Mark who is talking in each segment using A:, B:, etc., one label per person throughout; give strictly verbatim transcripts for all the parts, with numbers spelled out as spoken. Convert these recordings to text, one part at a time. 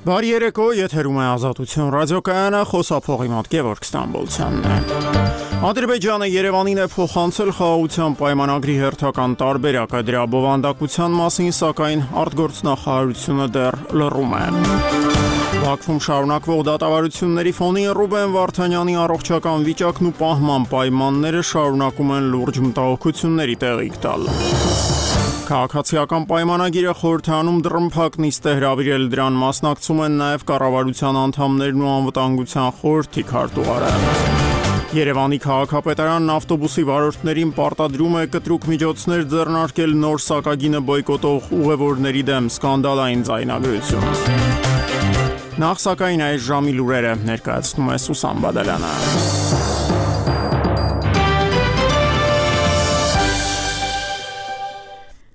A: Բարի երեկո, եթերում է Ազատություն ռադիոկայանը, խոսափողի մոտ Գևորգ Ստամբոլցյանն է։ Ադրբեջանը Երևանին է փոխանցել խաղաղության պայմանագրի հերթական տարբերակը, դրա բովանդակության մասին, սակայն արտգործնախարարությունը դեռ լռում է։ Բաքվում շարունակվող դատավարությունների ֆոնին Ռուբեն Վարդանյանի առողջական վիճակն ու պահման պայմանները շարունակում են լուրջ մտահոգությունների տեղիք տալ։ Քաղաքացիական պայմանագիրը խորհրդանում դռնփակ նիստ է հրավիրել, դրան մասնակցում են նաև կառավարության անդամներն ու անվտանգության խորհրդի քարտուղարը։ Երևանի քաղաքապետարանն ավտոբուսի վարորդներին պարտադրում է կտրուկ միջոցներ ձեռնարկել նոր սակագինը բոյկոտող ուղևորների դեմ, սկանդալային ձայնագրություն։ Նախ սակայն այս ժամի լուրերը ներկայացնում է Սուսան Բադալյանը։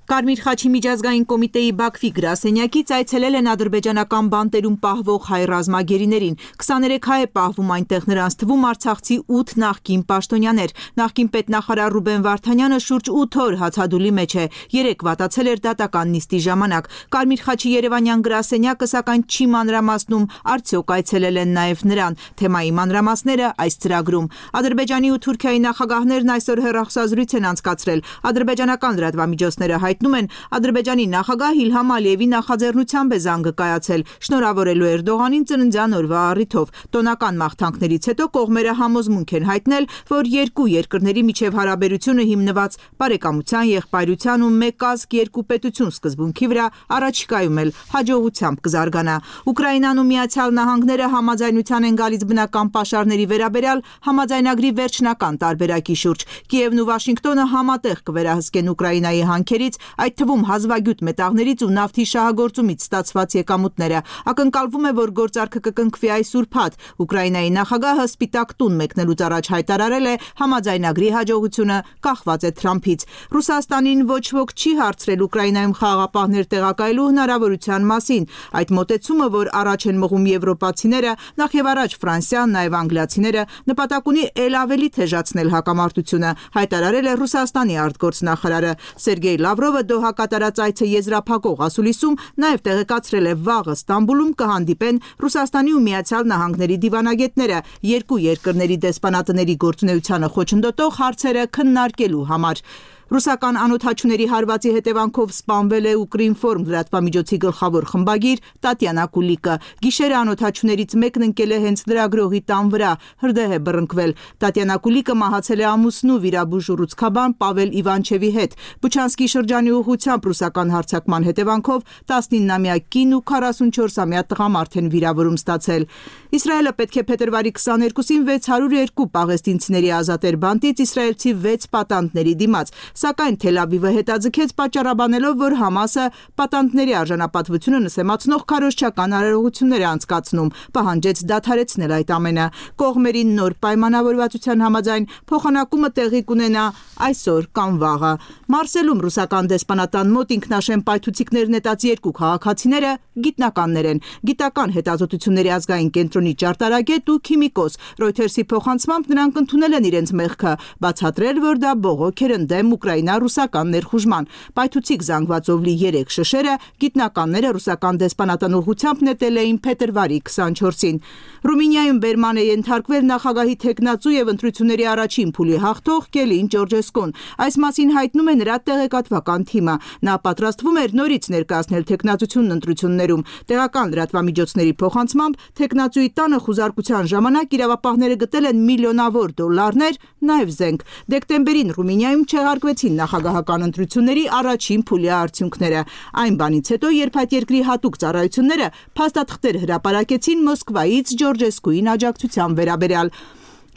B: Կարմիր խաչի միջազգային կոմիտեի Բաքվի գրասենյակից այցելել են ադրբեջանական բանտերում պահվող հայ ռազմագերիներին։ քսաներեք հայ է պահվում այնտեղ, նրանց թվում արցախցի ութ նախկին պաշտոնյաներ։ Նախկին պետնախարար Ռուբեն Վարդանյանը շուրջ ութ օր հացադուլի մեջ է, երեք վատացել էր դատական նիստի ժամանակ։ Կարմիր խաչի երևանյան գրասենյակը սակայն չի մանրամասնում, արդյոք այցելել են նաև նրան։ Թեմայի մանրամասները այս ծրագրում։ Ադրբեջանի ու Թուրքիայի նախագահներն այսօր հեռախոսազրույց են անցկացրել։ Ադրբեջանական լրատվամիջոցները հայտնում են, Ադրբեջանի նախագահ Իլհամ Ալիևի նախաձեռնությամբ է զանգը կայացել, շնորհավորելու Էրդողանին ծննդյան օրվա առիթով։ Տոնական մաղթանքներից հետո կողմերը համոզմունք են հայտնել, որ երկու երկրների միջև հարաբերությունը հիմնված բարեկամության, եղբայրության ու մեկ ազգ երկու պետություն սկզբունքի վրա առաջիկայում էլ հաջողությամբ կզարգանա։ Ուկրաինան ու Միացյալ Նահանգները համաձայնության են գալիս բնական պաշարների վերաբերյալ համաձայնագրի վերջնական տարբերակի շուրջ։ Կիևն ու Վաշինգտոնը համատեղ կվերահսկեն Ուկրաինայի հանքերից, այդ թվում հազվագյուտ մետաղներից ու նավթի շահագործումից ստացված եկամուտները։ Ակնկալվում է, որ գործարքը կկնքվի այս ուրբաթ։ Ուկրաինայի նախագահը Սպիտակ տուն մեկնելուց առաջ հայտարարել է, համաձայնագրի հաջողությունը կախված է Թրամփից։ Ռուսաստանին ոչ ոք չի հարցրել Ուկրաինայում խաղաղապահներ տեղակայելու հնարավորության մասին։ Այդ մոտեցումը, որ առաջ են մղում եվրոպացիները, նախևառաջ Ֆրանսիան, նաև անգլիացիները, նպատակ ունի ել ավելի թեժացնել հակամարտությունը, հայտարարել է Ռուսաստանի արտգործնախարարը։ Սերգեյ Լավրովը Դոհա կատարած այցը եզրափակող ասուլիսում նաև տեղեկացրել է, վաղը Ստամբուլում կհանդիպեն Ռուսաստանի ու Միացյալ Նահանգների դիվանագետները երկու երկրների դեսպանատների գործունեությանը խոչընդոտող հարցերը քննարկելու համար։ Ռուսական անօդաչուների հարվածի հետևանքով սպանվել է Ուկրինֆորմ լրատվամիջոցի գլխավոր խմբագիր Տատյանա Կուլիկը։ Գիշերը անօդաչուներից մեկն ընկել է հենց լրագրողի տան վրա, հրդեհ է բռնկվել։ Տատյանա Կուլիկը մահացել է ամուսնու վիրաբույժ ուռուցքաբան Պավել Իվանչևի հետ։ Բուչանսկի շրջանի ուղղությամբ ռուսական հարձակման հետևանքով տասնիննամյա կին ու քառասունչորսամյա տղամարդ են վիրավորում ստացել։ Իսրայելը պետք է փետրվարի քսաներկուսին վեց հարյուր երկու պաղեստինցիների ազատեր բանտից իսրայելցի վեց պատանդների դիմաց, սակայն Թել Ավիվը հետաձգեց պատճառաբանելով, որ Համասը պատանդների արժանապատվությունը նսեմացնող քարոզչական արարողություններ է անցկացնում, պահանջեց դադարեցնել այդ ամենը։ Կողմերի նոր պայմանավորվածության համաձայն փոխանակումը տեղի կունենա այսօր կամ վաղը։ Մարսելում ռուսական դեսպանատան մոտ ինքնաշեն պայթուցիկներ նետած երկու քաղաքացիները գիտնականներ են։ Գիտական հետազոտությունների ազգային կենտրոնի ճարտարագետ ու քիմիկոս Reuters-ի փոխանցմամբ նրանք ընդունել են իրենց մեղքը, բացատրել, որ դա բողոք էր ընդդեմ ուկրաինա-ռուսական ներխուժման։ Պայթուցիկ զանգվածով լի երեք շշերը գիտնականները ռուսական դեսպանատան ուղղությամբ նետել էին փետրվարի քսանչորսին։ Ռումինիայում բերման է ենթարկվել նախագահի թեկնածու եւ ընտրությունների առաջին փուլի հաղթող Կելին Ջորջեսկուն։ Այս մասին հայտնում է նրա տեղեկատվական թիմը։ Նա պատրաստվում էր նորից ներկայացնել թեկնածությունն ընտրություններում։ Տեղական լրատվամիջոցների փոխանցմամբ թեկնածուի տանը խուզարկության ժամանակ իրավապահները գտել են միլիոնավոր դոլարներ, նաև զենք։ Դեկտեմբերին Ռումինիայում չեղարկվեցին նախագահական ընտրությունների առաջին փուլի արդյունքները։ Այն բանից հետո, երբ այդ երկրի հատուկ ծառայությունները փաստաթղթեր հրապարակեցին Մոսկվայից Ջորջեսկուին աջակցության վերաբերյալ։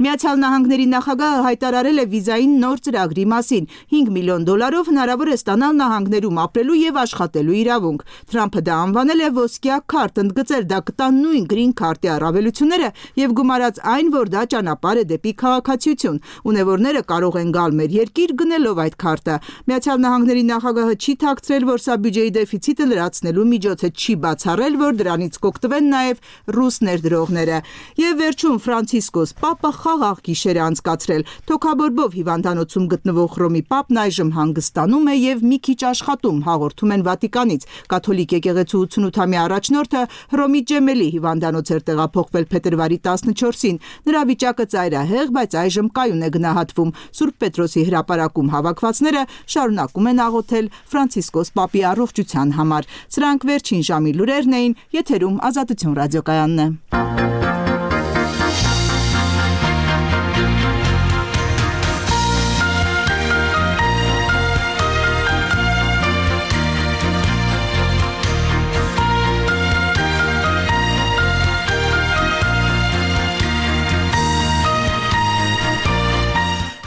B: Միացյալ Նահանգների նախագահը հայտարարել է վիզային նոր ծրագրի մասին։ հինգ միլիոն դոլարով հնարավոր է ստանալ նահանգներում ապրելու եւ աշխատելու իրավունք։ Թրամփը դա անվանել է ոսկյա քարտ, ընդգծել դա կտա նույն գրին քարտի առավելությունները եւ գումարած այն, որ դա ճանապարհ է դեպի քաղաքացիություն։ Ունևորները կարող են գալ մեր երկիր գնելով այդ քարտը։ Միացյալ Նահանգների նախագահը չի թաքցրել, որ սա բյուջեի դեֆիցիտը լրացնելու միջոց է, չի բացառել, որ դրանից կօգտվեն նաեւ ռուս ներդրողները։ Եվ վերջում Ֆրանցիսկոս Պապը խաղաղ գիշեր է անցկացրել։ Թոքաբորբով հիվանդանոցում գտնվող Հռոմի Պապն այժմ հանգստանում է եւ մի քիչ աշխատում, հաղորդում են Վատիկանից։ Կաթոլիկ եկեղեցու ութսունութամյա առաջնորդը Հռոմի Ջեմելի հիվանդանոց էր տեղափոխվել փետրվարի տասնչորսին։ Նրա վիճակը ծայրահեղ, բայց այժմ կայուն է գնահատվում։ Սուրբ Պետրոսի հրապարակում հավաքվածները շարունակում են աղոթել Ֆրանցիսկոս Պապի առողջության համար։ Սրանք վերջին ժամի լուրերն էին, եթերում Ազատություն ռադիոկայանն է։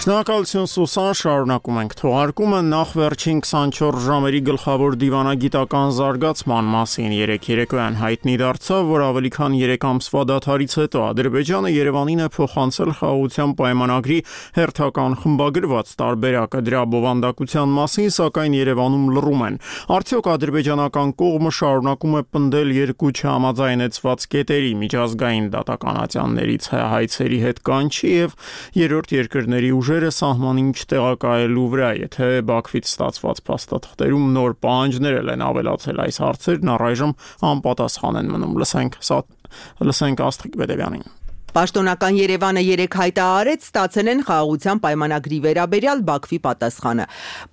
A: Շնորհակալություն Սուսան, շարունակում ենք թողարկումը նախ վերջին քսանչորս ժամերի գլխավոր դիվանագիտական զարգացման մասին երեկ երեկոյան հայտնի դարձավ, որ ավելի քան երեք ամսվա դադարից հետո Ադրբեջանը Երևանին է փոխանցել խաղաղության պայմանագրի հերթական խմբագրված տարբերակը դրա բովանդակության մասին, սակայն Երևանում լռում են։ Արդյոք ադրբեջանական կողմը շարունակում է պնդել երկու չհամաձայնեցված կետերի միջազգային դատականատյաններից հայցերի հետ կանչի եւ երրորդ երկրների ուժ սահմանին չտեղակայելու վրա, եթե Բաքվից ստացված փաստաթղթերում նոր պահանջներ են ավելացել այս հարցերն առայժմ անպատասխան են մնում։ Լսենք, լսենք Աստղիկ Բեդևյանին։
C: Պաշտոնական Երևանը երեկ հայտարարեց ստացել են խաղաղության պայմանագրի վերաբերյալ Բաքվի պատասխանը,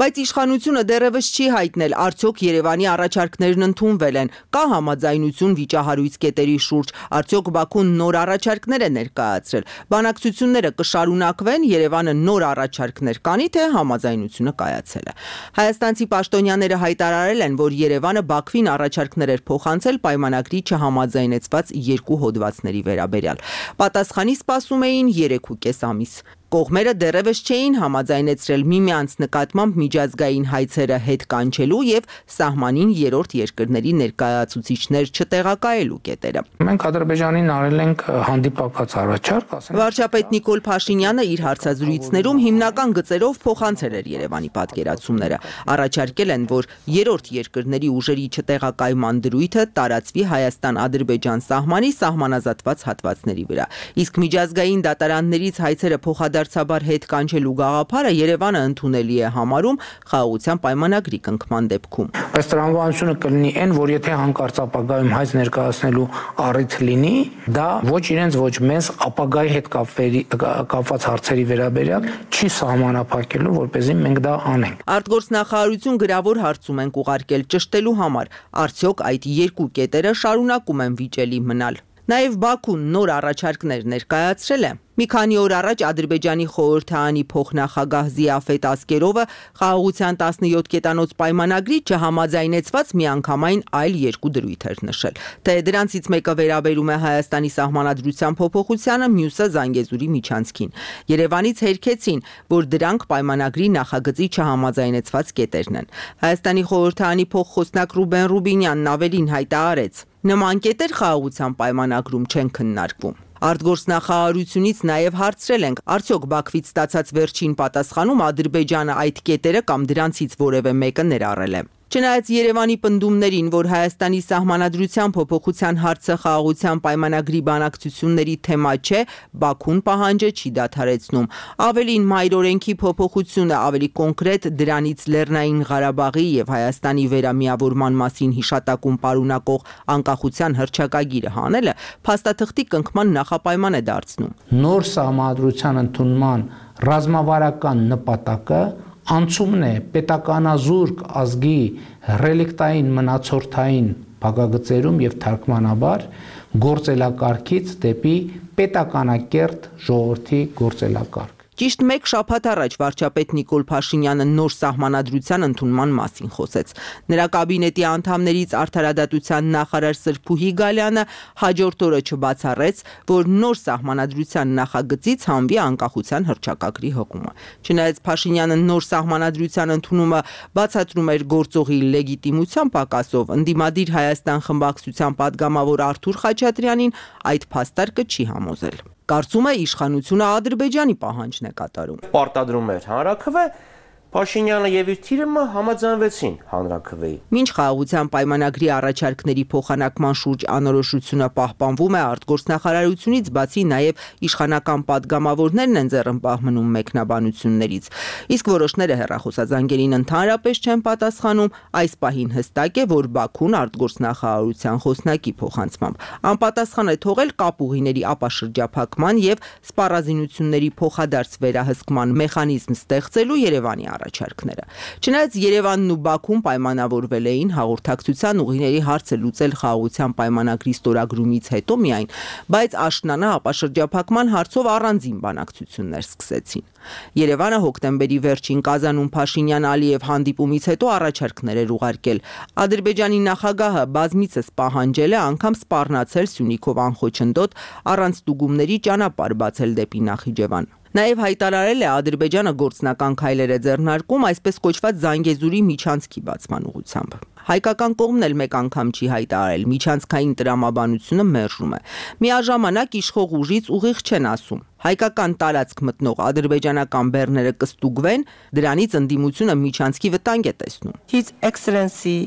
C: բայց իշխանությունը դեռևս չի հայտնել արդյոք Երևանի առաջարկներն ընդունվել են, կա համաձայնություն վիճահարույց կետերի շուրջ, արդյոք Բաքուն նոր առաջարկներ է ներկայացրել, բանակցությունները կշարունակվեն, Երևանը նոր առաջարկներ կանի, թե համաձայնությունը կայացել է։ Հայաստանցի պաշտոնյաները հայտարարել են, որ Երևանը Բաքվին առաջարկներ էր փոխանցել պայմանագրի չհամաձայնեցված երկու հոդվածների վերաբերյալ։ Պատասխանի սպասում էին երեք ու կես ամիս։ Կողմերը դեռևս չէին համաձայնեցրել միմյանց նկատմամբ միջազգային հայցերը հետ կանչելու եւ սահմանին երրորդ երկրների ներկայացուցիչներ չտեղակայելու կետերը։
D: Մենք Ադրբեջանին արել ենք հանդիպակաց առաջարկ, ասենք։
C: Վարչապետ Նիկոլ Փաշինյանը իր հարցազրույցներում հիմնական գծերով փոխանցել էր Երևանի պատկերացումները։ Առաջարկել են, որ երրորդ երկրների ուժերի չտեղակայման դրույթը տարածվի Հայաստան-Ադրբեջան սահմանի սահմանազատված հատվածների վրա։ Իսկ միջազգային դատարաններից հայցերը փոխադարձ Դարձաբար հետ կանչելու գաղափարը Երևանը ընդունելի է համարում խաղաղության պայմանագրի կնքման դեպքում։
D: Բայց տրամաբանությունը կլինի այն, որ եթե հանկարծ ապագայում հայց ներկայացնելու առիթ լինի, դա ոչ իրենց ոչ մեզ ապագայի հետ կապված հարցերի վերաբերյալ չի սահմանափակելու, որպեսզի մենք դա անենք։
C: Արտգործնախարարություն գրավոր հարցում ենք ուղարկել ճշտելու համար, արդյոք այդ երկու կետերը շարունակում են վիճելի մնալ։ Նաև Բաքուն նոր առաջարկներ ներկայացրել է։ Մի քանի օր առաջ Ադրբեջանի խորհրդարանի փոխնախագահ Զիաֆետ Ասկերովը խաղաղության տասնյոթ կետանոց պայմանագրի չհամաձայնեցված միանգամայն այլ երկու դրույթ էր նշել։ Թե դրանցից մեկը վերաբերում է Հայաստանի սահմանադրության փոփոխությանը, մյուսը Զանգեզուրի միջանցքին։ Երևանից հերքեցին, որ դրանք պայմանագրի նախագծի չհամաձայնեցված կետերն են։ Հայաստանի խորհրդարանի փոխխոսնակ Ռուբեն Ռուբինյանն ավելին հայտարարեց. նման կետեր խաղաղության պայմանագրում չեն քննարկվում։ Արտգործնախարարությունից նաև հարցրել ենք, արդյոք Բաքվից ստացած վերջին պատասխանում Ադրբեջանը այդ կետերը կամ դրանցից որևէ մեկը ներառել է։ Չնայած Երևանի պնդումներին, որ Հայաստանի սահմանադրության փոփոխության հարցը խաղաղության պայմանագրի բանակցությունների թեմա չէ, Բաքուն պահանջը չի դադարեցնում։ Ավելին, մայրօրենքի փոփոխությունը, ավելի կոնկրետ դրանից Լեռնային Ղարաբաղի եւ Հայաստանի վերամիավորման մասին հիշատակում պարունակող անկախության հռչակագիրը հանելը փաստաթղթի կնքման նախապայման է դարձնում։
D: Նոր սահմանադրության ընդունման ռազմավարական նպատակը անցումն է պետականազուրկ ազգի ռելիկտային մնացորդային փակագծերում եւ թարգմանաբար գործելակարգից դեպի պետականակերտ ժողովրդի գործելակարգ։
C: Ճիշտ մեկ շաբաթ առաջ վարչապետ Նիկոլ Փաշինյանը նոր սահմանադրության ընդունման մասին խոսեց։ Նրա կաբինետի անդամներից արդարադատության նախարար Սրփուհի Գալյանը հաջորդ օրը չբացառեց, որ նոր սահմանադրության նախագծից հանվի անկախության հռչակագրի հղումը։ Չնայած Փաշինյանը նոր սահմանադրության ընդունումը բացատրում էր գործողի լեգիտիմության պակասով, ընդդիմադիր Հայաստան խմբակցության падգամավոր Արթուր Խաչատրյանին այդ փաստարկը չի համոզել։ Կարծում է իշխանությունը Ադրբեջանի պահանջն է կատարում։
E: Պարտադրում էր հանրաքվե Փաշինյանը եւ իր թիմը համաձայնվեցին հանրաքվեի։
C: Մինչ խաղաղության պայմանագրի առաջարկների փոխանակման շուրջ անորոշությունը պահպանվում է արտգործնախարարությունից, բացի նաեւ իշխանական падգամավորներն են ձեռնպահ մնում մեկնաբանություններից։ Իսկ որոշները հեռախոսազանգերին ընդհանրապես չեն պատասխանում, այս պահին հստակ է, որ Բաքուն արտգործնախարարության խոսնակի փոխանցմամբ անպատասխան է թողել կապուղիների ապաշրջափակման եւ սպառազինությունների փոխադարձ վերահսկման մեխանիզմ ստեղծելու Երևանի առաջարկները։ Չնայած Երևանն ու Բաքուն պայմանավորվել էին հաղորդակցության ուղիների հարցը լուծել խաղաղության պայմանագրի ստորագրումից հետո միայն, բայց աշնանը ապաշրջափակման հարցով առանձին բանակցություններ սկսեցին։ Երևանը հոկտեմբերի վերջին Կազանում Փաշինյան-Ալիև հանդիպումից հետո առաջարկներ էր ուղարկել։ Ադրբեջանի նախագահը բազմիցս պահանջել է անգամ սպառնացել Սյունիքով անխոչնդոտ առանց ստուգումների ճանապարհ բացել դեպի Նախիջևան։ Նաև հայտարարել է Ադրբեջանը գործնական քայլեր է ձեռնարկում այսպես կոչված Զանգեզուրի միջանցքի բացման ուղղությամբ։ Հայկական կողմն էլ մեկ անգամ չի հայտարարել, միջանցքային տրամաբանությունը մերժում է։ Միաժամանակ իշխող ուժից ուղիղ չեն ասում։ Հայկական տարածք մտնող ադրբեջանական բեռները կստուգվեն, դրանից ընդդիմությունը միջանցքի վտանգ է տեսնում։
F: His Excellency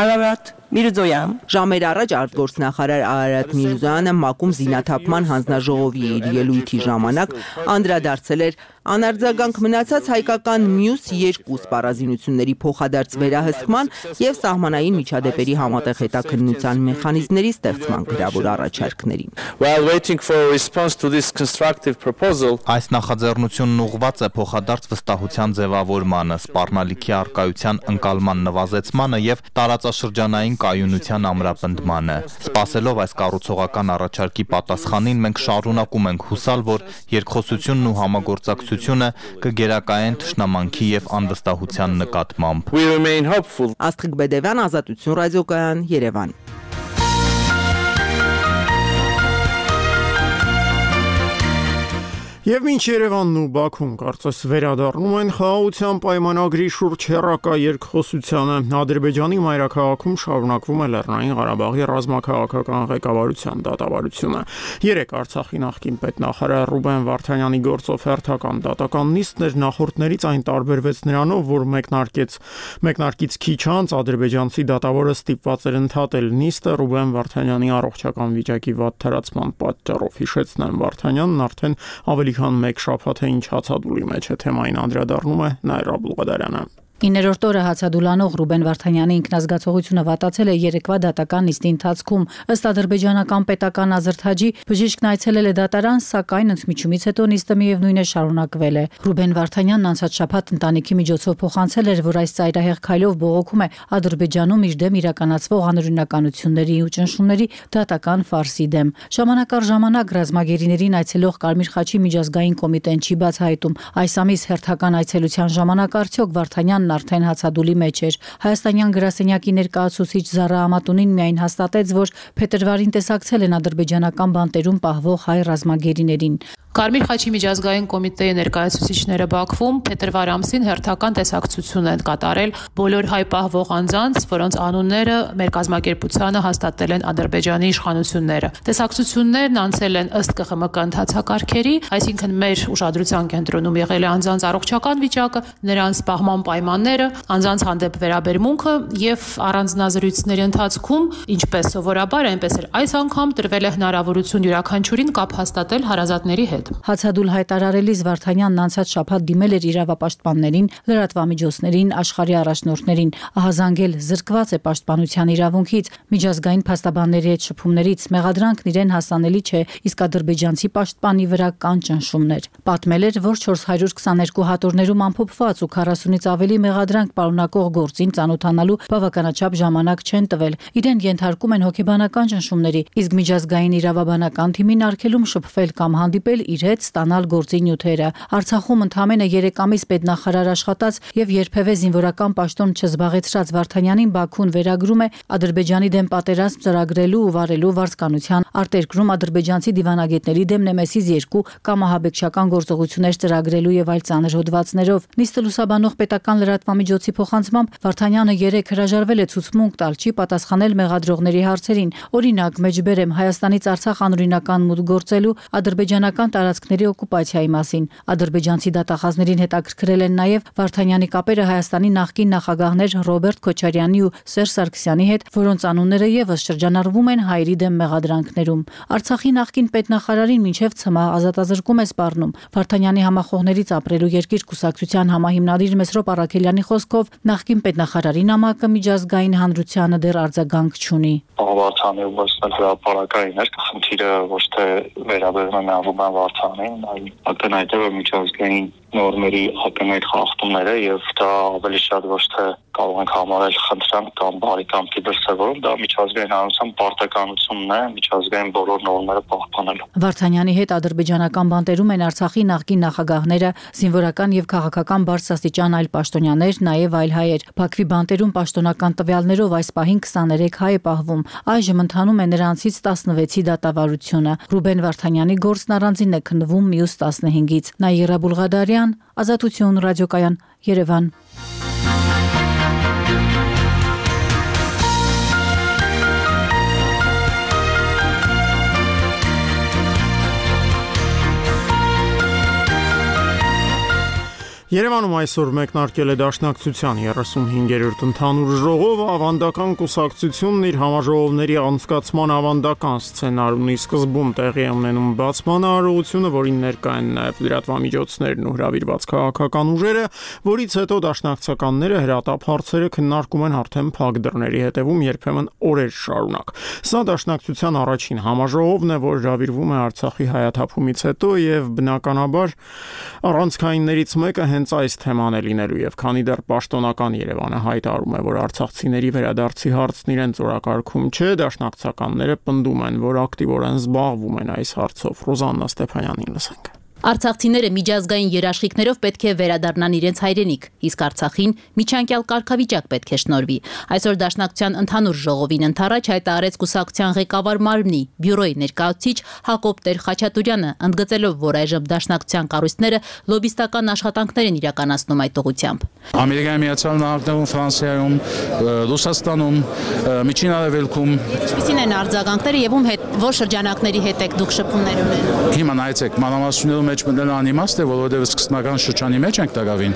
F: Ararat Mirzoyan
C: Ժամեր առաջ արտգործնախարար Արարատ Միրզոյանը ՄԱԿ-ում զինաթափման հանձնաժողովի իր ելույթի ժամանակ անդրադարձել էր անարձագանք մնացած հայկական մյուս երկու սպառազինությունների փոխադարձ վերահսկման եւ սահմանային միջադեպերի համատեղ հետաքննության մեխանիզմների ստեղծման գրավոր առաջարկներին։
G: While waiting for a response to this constructive proposal,
H: այս նախաձեռնությունն ուղղված է փոխադարձ վստահության ձևավորմանը, սպառնալիքի արկայության ընկալման նվազեցմանը եւ տարածաշրջանային կայունության ամրապնդմանը։ Սպասելով այս կառուցողական առաջարկի պատասխանին, մենք շարունակում ենք հուսալ, որ երկխոսությունն ու համագործակցությունը կգերակայեն թշնամանքի եւ անվստահության նկատմամբ։
G: we remain hopeful.
C: Աստղիկ Բեդևյան, Ազատություն ռադիոկայան, Երևան։
A: Եվ մինչ Երևանն ու Բաքուն կարծես վերադառնում են խաղաղության պայմանագրի շուրջ հեռակա երկխոսությանը, Ադրբեջանի մայրաքաղաքում շարունակվում է Լեռնային Ղարաբաղի ռազմաքաղաքական ղեկավարության դատավարությունը։ Երեկ Արցախի նախկին պետնախարար Ռուբեն Վարդանյանի գործով հերթական դատական նիստն էր, նախորդներից այն տարբերվեց նրանով, որ մեկնարկեց մեկնարկից քիչ անց ադրբեջանցի դատավորը ստիպված էր ընդհատել նիստը Ռուբեն Վարդանյանի առողջական վիճակի վատ թերացման պատճառով։ Հիշեցնեմ, Վարդանյանն արդեն ավելի քան մեկ շաբաթ է ինչ հացադուլի մեջ է, թեմային անդրադառնում է Նայրա Բլուղադարյանը։
I: Իններորդ օրը հացադուլանող Ռուբեն Վարդանյանի ինքնազգացողությունը վատացել է երեկվա դատական նիստի ընթացքում։ Ըստ ադրբեջանական պետական ազրթաջի, բժիշկն այցելել է դատարան, սակայն ընդմիջումից հետո նիստը միևնույն է շարունակվել է։ Ռուբեն Վարդանյանն անցած շաբաթ ընտանիքի միջոցով փոխանցել էր, որ այս ծայրահեղ քայլով բողոքում է Ադրբեջանում իր դեմ իրականացվող անօրինականությունների ու ճնշումների դատական ֆարսի դեմ։ Ժամանակ առ ժամանակ ռազմագերիներին այցելող Կարմիր խաչի միջազգային կոմիտեն չի բացահայտում այս ամիս հերթական այցելության ժամանակ արդյոք Վարդանյանն արդեն հացադուլի մեջ էր։ Հայաստանյան գրասենյակի ներկայացուցիչ Զարա Ամատունին միայն հաստատեց, որ փետրվարին տեսակցել են ադրբեջանական բանտերում պահվող հայ ռազմագերիներին։
J: Կարմիր խաչի միջազգային կոմիտեի ներկայացուցիչները Բաքվում փետրվար ամսին հերթական տեսակցություն են կատարել բոլոր հայ պահվող անձանց, որոնց անունները մեր կազմակերպությանը հաստատել են Ադրբեջանի իշխանությունները։ Տեսակցություններն անցել են ըստ ԿԽՄԿ ընթացակարգերի, այսինքն մեր ուշադրության կենտրոնում եղել է անձանց առողջական վիճակը, նրանց պահման պայմանները, անձանց հանդեպ վերաբերմունքը եւ առանձնազրույցների ընթացքում, ինչպես սովորաբար, այնպես էլ այս անգամ տրվել է հնարավորություն յուրաքանչյուրին կապ հաստատել հարազատների հետ։
I: Հացադուլ հայտարարելիս Վարդանյանն անցած շաբաթ դիմել էր իրավապաշտպաններին, լրատվամիջոցներին, աշխարհի առաջնորդներին, ահազանգել զրկված է պաշտպանության իրավունքից, միջազգային փաստաբանների հետ շփումներից, մեղադրանքն իրեն հասանելի չէ, իսկ ադրբեջանցի պաշտպանի վրա կան ճնշումներ։ Պատմել էր, որ չորս հարյուր քսաներկու հատորներում ամփոփված ու քառասունից ավելի մեղադրանք պարունակող գործին ծանոթանալու բավականաչափ ժամանակ չեն տվել։ Իրեն ենթարկում են հոգեբանական ճնշումների, իսկ միջազգային իրավաբանական թիմին արգելում շփվել կամ հանդիպել իր հետ ստանալ գործի նյութերը։ Արցախում ընդամենը երեք ամիս պետնախարար աշխատած եւ երբևէ զինվորական պաշտոն չզբաղեցրած Վարդանյանին Բաքուն վերագրում է Ադրբեջանի դեմ պատերազմ ծրագրելու ու վարելու վարձկանության արտերկրում ադրբեջանցի դիվանագետների դեմ Նեմեսիս երկու կամահաբեկչական գործողություններ ծրագրելու եւ այլ ծանր հոդվածներով։ Նիստը լուսաբանող պետական լրատվամիջոցի փոխանցմամբ Վարդանյանը երեկ հրաժարվել է ցուցմունք տալ, չի պատասխանել մեղադրողների հարցերին։ Օրինակ, մեջբերեմ Հայաստանից Արցախ անօրինական մուտք գործելու ադրբեջանական տարածքների օկուպացիայի մասին։ Ադրբեջանցի դատախազներին հետաքրքրել են նաև Վարդանյանի կապերը Հայաստանի նախկին նախագահներ Ռոբերտ Քոչարյանի ու Սերժ Սարգսյանի հետ, որոնց անունները եւս շրջանառվում են հայերի դեմ մեղադրանքներում։ Արցախի նախկին պետնախարարին մինչև ցմահ ազատազրկում է սպառնում։ Վարդանյանի համախոհներից ապրելու երկիր կուսակցության համահիմնադիր Մեսրոպ Առաքելյանի խոսքով նախկին պետնախարարի նամակը միջազգային հանրությանը դեռ արձագանք չունի։
K: Վարդանի ուղղակի հրապարակային էր, խնդիրը ոչ թե վերաբերում է Մեղրուբան Վարդանին, այլ ակնհայտ է միջազգային նորմերի ակնհայտ խախտումները եւ դա ավելի շատ ոչ թե կարող ենք համարել խնդրանք կամ բարեկամքի դրսևորում, դա միջազգային հանրության պարտականությունն է միջազգային բոլոր նորմերը պահպանելու։
I: Վարդանյանի հետ ադրբեջանական բանտերում են Արցախի նախկին նախագահները, զինվորական եւ քաղաքական բարձրաստիճան այլ պաշտոնյաներ, նաեւ այլ հայեր։ Բաքվի բանտերում պաշտոնական տվյալներով այս պահին քսաներեք հայ է պահվում։ Այժմ ընթանում է նրանցից տասնվեցի դատավարությունը։ Ռուբեն Վարդանյանի գործն առանձին է քննվում մյուս տասնհինգից։ Նաիրա Բուլղադարյան, Ազատություն ռադիոկայան, Երևան։
A: Երևանում այսօր մեկնարկել է Դաշնակցության երեսունհինգերորդ ընդհանուր ժողովը, ավանդական կուսակցությունն իր համաժողովների անցկացման ավանդական սցենարունի սկզբում տեղի է ունենում բացման արարողությունը, որին ներկա են նաև լրատվամիջոցներն ու հրավիրված քաղաքական ուժերը, որից հետո դաշնակցականները հրատապ հարցերը քննարկում են արդեն փակ դռների հետևում, երբեմն օրեր շարունակ։ Սա Դաշնակցության առաջին համաժողովն է, որ հրավիրվում է Արցախի հայաթափումից հետո եւ բնականաբար առանցքայիններից մեկը հենց այս թեման է լինելու եւ քանի դեռ պաշտոնական Երևանը հայտարարում է, որ արցախցիների վերադարձի հարցն իրենց օրակարգում չէ, դաշնակցականները պնդում են, որ ակտիվորեն զբաղվում են այս հարցով։ Ռոզաննա Ստեփանյանին լսենք։
L: Արցախցիները միջազգային երաշխիքներով պետք է վերադառնան իրենց հայրենիք, իսկ Արցախին միջանկյալ կարգավիճակ պետք է շնորհվի։ Այսօր Դաշնակցության ընդհանուր ժողովին ընթരാճ հայտարարեց կուսակցության ղեկավար մարմնի բյուրոյի ներկայացուցիչ Հակոբ Տեր-Խաչատուրյանը, ընդգծելով, որ այժմ Դաշնակցության կառույցները լոբիստական աշխատանքներ են իրականացնում այդ ուղղությամբ։
M: Ամերիկայի Միացյալ Նահանգներում, Ֆրանսիայում, Ռուսաստանում, Միջին Արևելքում
L: ինչպիսին են արձագանքները եւ ում հետ որ շրջանակների հետ եք դուք շփումներ ունենում։
M: Հիմա նայեցեք, մանրամասնություններում մեջ մտնել անիմաստ է, որովհետև սկզբնական շրջանի մեջ ենք տարավին,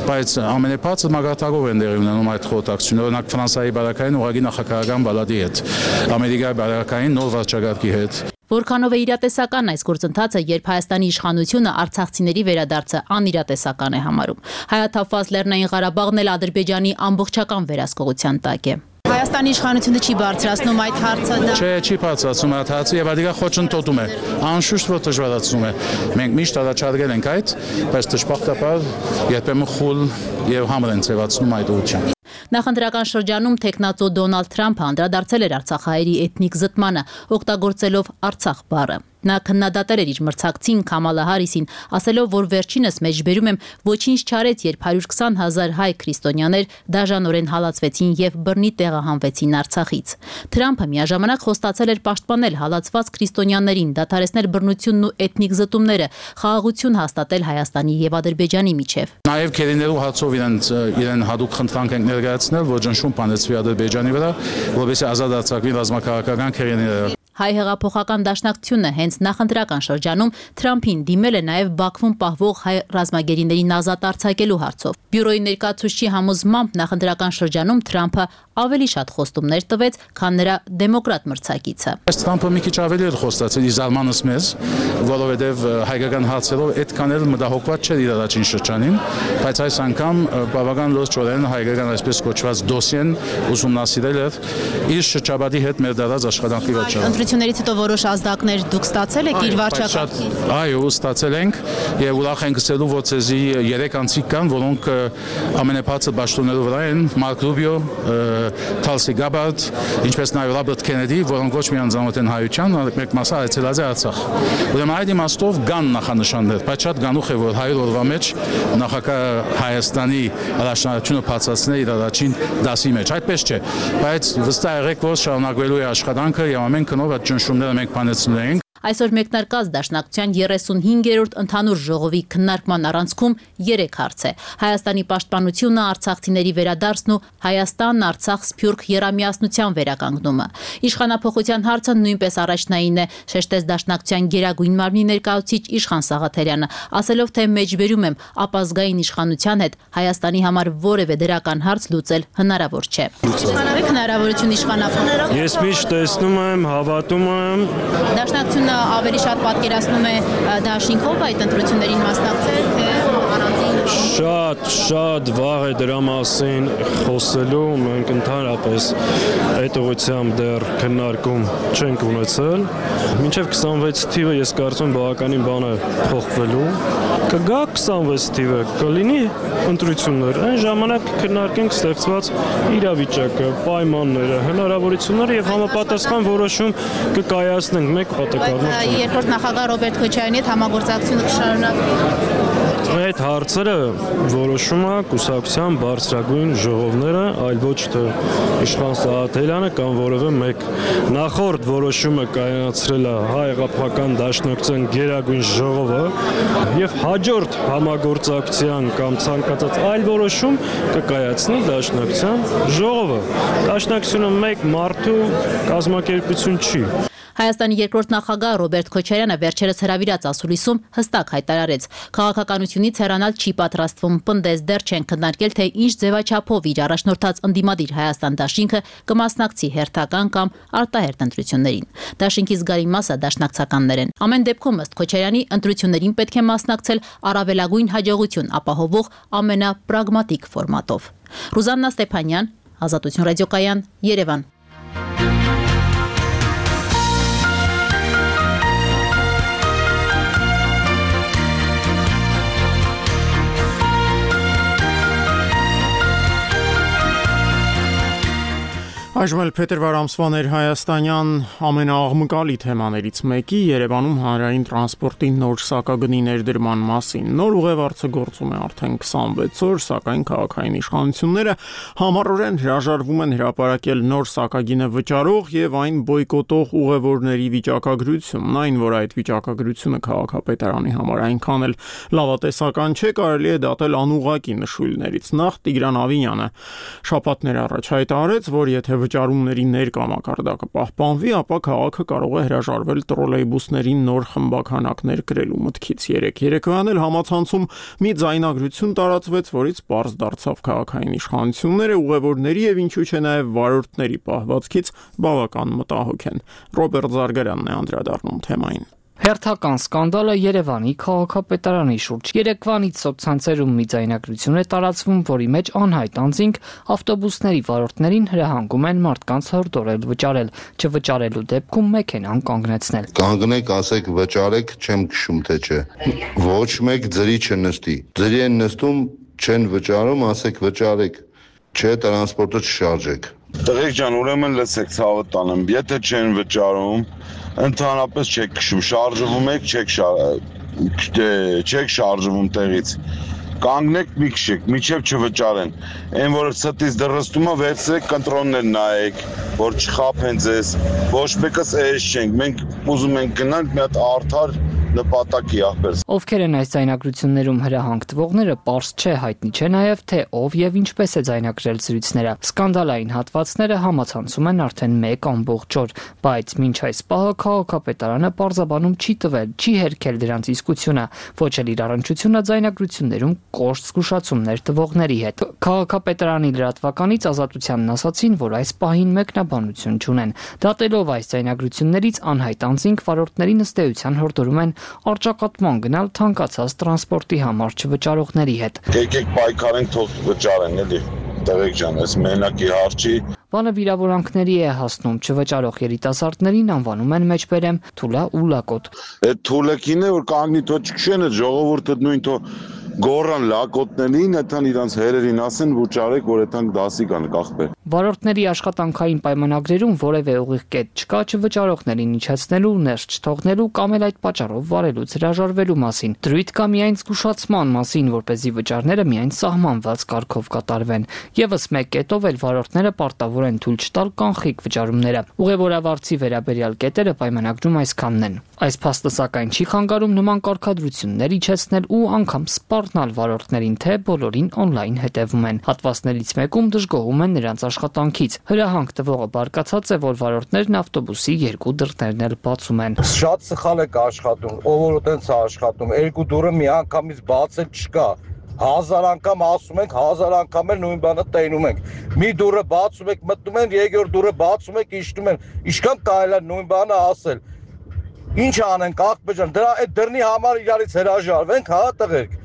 M: բայց ամենաբարձր մագարտակով են դերի ունենում այդ խորհրդակցությունները, օրինակ Ֆրանսիայի բարակային ուղղակի նախագահական բալադի հետ, Ամերիկայի բարակային նոր վարչագահի հետ։
L: Որքանով է իրատեսական այս գործընթացը, երբ Հայաստանի իշխանությունը արցախցիների վերադարձը անիրատեսական է համարում։ Հայաթափված Լեռնային Ղարաբաղն էլ Ադրբեջանի ամբողջական վերահսկողության տակ է։ Հայաստանի իշխանությունը չի բարձրացնում այդ հարցը։
M: Չէ, չի բարձրացում այդ հարցը եւ ադիգա խոչընդոտում է։ Անշուշտ որ դժվարացնում է։ Մենք միշտ առաջարկել ենք այդ, բայց դժբախտաբար երբեմն խուլ եւ համր են ձևացնում այդ ուղղությամբ։
L: Նախընտրական շրջանում տեխնացու Դոնալդ Թրամփը անդրադարձել էր արցախահայերի էթնիկ զտմանը, օգտագործելով Արցախ բառը։ Նա քննադատել էր իր մրցակցին Քամալա Հարիսին, ասելով, որ վերջինս մեջբերում եմ ոչինչ չարեց, երբ հարյուր քսան հազար հայ քրիստոնյաներ դաժանորեն հալածվեցին եւ բռնի տեղահանվեցին Արցախից։ Թրամփը միաժամանակ խոստացել էր պաշտպանել հալածված քրիստոնյաներին, դադարեցնել բռնությունն ու էթնիկ զտումները, խաղաղություն հաստատել Հայաստանի եւ Ադրբեջանի միջև։
M: Նաեւ քերիներու հարցով իրեն իրեն հadoop խնդրանք են ներկայացնել, որ ճնշում բանեցվի Ադրբեջանի վրա, որովհետեւ ազատ արձակվի ռազմաքաղաքական քերիները։
L: Հայ հեղափոխական դաշնակցությունը հենց նախընտրական շրջանում Թրամփին դիմել է նաև Բաքվում պահվող հայ ռազմագերիներին ազատ արձակելու հարցով։ Բյուրոյի ներկայացուցչի համոզմամբ նախընտրական շրջանում Թրամփը ավելի շատ խոստումներ տվեց, քան նրա դեմոկրատ մրցակիցը։
M: Այս Թրամփը մի քիչ ավելի էր խոստացել իր զարմանս մեզ, որովհետև հայկական հարցերով այդքան էլ մտահոգված չէր իր առաջին շրջանին, բայց այս անգամ բավական լրջորեն հայկական այսպես կոչված դոսիեն ուսումնասիրել էր իր շրջապատի հետ մեր դարած աշխատանքի վճարը։
L: Ընտրություններից հետո որոշ ազդակներ դուք ստացել եք իր վարչակարգից։
M: Այո, ստացել ենք եւ ուրախ ենք ասելու, որ ցեզի երեք անձիկ կան, որոնք ամենաբարձր պաշտոններով վրա են՝ Մարկ Ռուբիո, Թալսի Գաբարդ, ինչպես նաև Ռոբերտ Քենեդի, որոնք ոչ միայն ծանոթ են հայության, այլ մեկ մասը այցելած է Արցախ։ Ուրեմն այդ իմաստով կան նախանշաններ, բայց շատ գանուխ է, որ հարյուր օրվա մեջ նախագահ Հայաստանի առաջնահերթությունը բացացնել իր առաջին դասի մեջ։ Այդպես չէ, բայց վստահ եղեք, որ շարունակվելու է աշխատանքը եւ ամեն քնով այդ ճնշումները մենք բանեցնում ենք։
L: Այսօր մեկնարկած Դաշնակցության երեսունհինգերորդ ընդհանուր ժողովի քննարկման առանցքում երեք հարց է. Հայաստանի պաշտպանությունը, արցախցիների վերադարձն ու Հայաստան-Արցախ-Սփյուռք եռամիասնության վերականգնումը։ Իշխանափոխության հարցը նույնպես առաջնային է, շեշտեց Դաշնակցության գերագույն մարմնի ներկայացուցիչ Իշխան Սաղաթելյանը, ասելով, թե մեջբերում եմ ապազգային իշխանության հետ Հայաստանի համար որևէ դրական հարց լուծել հնարավոր չէ։ Իշխանավեք հնարավորություն իշխանափոխել։
N: Ես միշտ տեսնում եմ, հավատում եմ։
L: Դաշնակցությունը ավելի շատ պատկերացնում է դաշինքով այդ ընտրություններին մասնակցել, թե առանձին
N: Շատ, շատ վաղ է դրա մասին խոսելու, մենք ընդհանրապես այդ ուղղությամբ դեռ քննարկում չենք ունեցել։ Մինչև քսանվեց թիվը ես կարծում բավականին բան է փոխվելու։ Կգա քսանվեց թիվը, կլինի ընտրություններ, այն ժամանակ քննարկենք ստեղծված իրավիճակը, պայմանները, հնարավորությունները եւ համապատասխան որոշում կկայացնենք մեկ պատկառ։
L: Երկրորդ նախագահ Ռոբերտ Քոչարյանի հետ համագործակցությունը կշարունակվի։
N: Այդ հարցերը որոշում է կուսակցության բարձրագույն ժողովները, այլ ոչ թե Իշխան Սաղաթելյանը կամ որևէ մեկ։ Նախորդ որոշումը կայացրել է Հայ-Հեղափոխական Դաշնակցության գերագույն ժողովը եւ հաջորդ համագործակցության կամ ցանկացած այլ որոշում կկայացնի Դաշնակցության ժողովը։ Դաշնակցությունը մեկ մարդու կազմակերպություն չի։
L: Հայաստանի երկրորդ նախագահ Ռոբերտ Քոչարյանը վերջերս հրավիրած ասուլիսում հստակ հայտարարեց. քաղաքականությունից հեռանալ չի պատրաստվում, պնդեց, դեռ չեն քննարկել, թե ինչ ձևաչափով իր առաջնորդած ընդդիմադիր Հայաստան դաշինքը կմասնակցի հերթական կամ արտահերթ ընտրություններին։ Դաշինքի զգալի մասը դաշնակցականներ են։ Ամեն դեպքում ըստ Քոչարյանի ընտրություններին պետք է մասնակցել առավելագույն հաջողություն ապահովող ամենապրագմատիկ ֆորմատով։ Ռուզաննա Ստեփանյան, Ազատություն ռադիոկայան, Երևան։
A: Այժմ էլ փետրվար ամսվա ներհայաստանյան ամենաաղմկալի թեմաներից մեկի Երևանում հանրային տրանսպորտի նոր սակագնի ներդրման մասին։ Նոր ուղևորցը գործում է արդեն քսանվեց օր, սակայն քաղաքային իշխանությունները համառորեն հրաժարվում են հրապարակել նոր սակագինը վճարող եւ այն բոյկոտող ուղևորների վիճակագրությունն, այն որ այդ վիճակագրությունը քաղաքապետարանի համար այնքան էլ լավատեսական չէ, կարելի է դատել անուղղակի նշույլներից։ Նախ Տիգրան Ավինյանը շաբաթներ առաջ հայտարարեց, որ եթե վճարումների ներկամակարդակը պահպանվի, ապա քաղաքը կարող է հրաժարվել տրոլեյբուսներին նոր խմբականակներ կրելու մտքից։ Երեք երեկոյան էլ համացանցում մի ձայնագրություն տարածվեց, որից պարզ դարձավ քաղաքային իշխանությունները ուղևորների եւ ինչու՞ չէ նաեւ վարորդների պահվածքից բավական մտահոգ են։ Ռոբերտ Զարգարյանն է անդրադառնում թեմային։
D: Հերթական սկանդալը Երևանի քաղաքապետարանի շուրջ։ Երեկվանից սոցցանցերում մի ձայնագրություն է տարածվում, որի մեջ անհայտ անձինք ավտոբուսների վարորդներին հրահանգում են մարդկանց հորդորել վճարել, չվճարելու դեպքում մեքենան կանգնեցնել։
O: Կանգնեք, ասեք վճարեք, չեմ քշում թե չէ։ Ոչ մեկ ձրի չնստի։ Ձրի են նստում, չեն վճարում, ասեք վճարեք, չէ տրանսպորտը չշարժեք։
P: Տղեկ ջան, ուրեմն լսեք, ցավը տանեմ, եթե չեն վճարում, ընդհանրապես չեք քշում, շարժվում եք, չեք չեք շարժվում տեղից։ Կանգնեք, մի քշեք, միջև չվճարեն։ Այն որ ստից դրստում է, վերցրեք, կոնտրոլներ նայեք, որ չխափեն ձեզ։ Ոչ մեկս էս չենք, մենք ուզում ենք գնանք մի հատ արդար նպատակի ախպեր։
D: Ովքեր են այս ձայնագրություններում հրահանգվողները, պարզ չէ, հայտնի չէ նաև թե ով եւ ինչպես է ձայնագրել զրույցները։ Սկանդալային հատվածները համացանցում են արդեն մեկ ամբողջ օր, բայց մինչ այս պահը քաղաքապետարանը պարզաբանում չի տվել, չի հերքել դրանց իսկությունը, ոչ էլ իր առնչությունը ձայնագրություններում կոշտ զգուշացումներ տվողների հետ։ Քաղաքապետարանի լրատվականից Ազատությանն ասացին, որ այս պահին մեկնաբանություն չունեն։ Դատելով այս ձայնագրություններից անհայտ անձինք վարորդներին ըստ էության հորդորում են արճակատման գնալ թանկացած տրանսպորտի համար չվճարողների հետ։
P: Եկեք պայքարենք, թող վճարեն, էլի։ Տղեկ ջան, այս մենակի հարցի
D: բանը վիրավորանքների է հասնում, չվճարող երիտասարդներին անվանում են մեջբերեմ թուլա ու լակոտ։
P: Այդ թուլակին է որ կանգնի թող չքշեն, այդ ժողովուրդը նույն թող գորան լակոտներին, այդան իրանց հերերին ասեն, վճարեք, որ այդան դասի կան կախբեր։
D: Վարորդների աշխատանքային պայմանագրերում որևէ ուղիղ կետ չկա չվճարողներին իջեցնելու, ներս չթողնելու կամ էլ այդ պատճառով վարելուց հրաժարվելու մասին։ Դրույթ կա միայն զգուշացման մասին, որպեսզի վճարները միայն սահմանված կարգով կատարվեն։ Եվս մեկ կետով էլ վարորդները պարտավոր են թույլ չտալ կանխիկ վճարումները։ Ուղևորավարձի վերաբերյալ կետերը պայմանագրում այսքանն են։ Այս փաստը սակայն չի խանգարում նման կարգադրություններ իջեցնել ու անգամ սպառնալ վարորդներին, թե բոլորին օնլայն հետևում են։ Հատվածներից մեկում դժգոհում են նրանց աշխատանքից։ Հրահանգ տվողը բարկացած է, որ վարորդներն ավտոբուսի երկու դռներն էլ բացում են։
Q: Շատ սխալ է աշխատում, ով որ այդպես է աշխատում, երկու դուռը միանգամից բացել չկա։ Հազար անգամ ասում ենք, հազար անգամ էլ նույն բանը տենում ենք։ Մի դուռը բացում եք, մտնում են, երկրորդ դուռը բացում եք, իջնում են։ Ինչքան կարելի է նույն բանը ասել։ Ինչ անենք, աղբեջան, դրա այդ դռնի համար իրարից հրաժարվենք, հա, տղերք։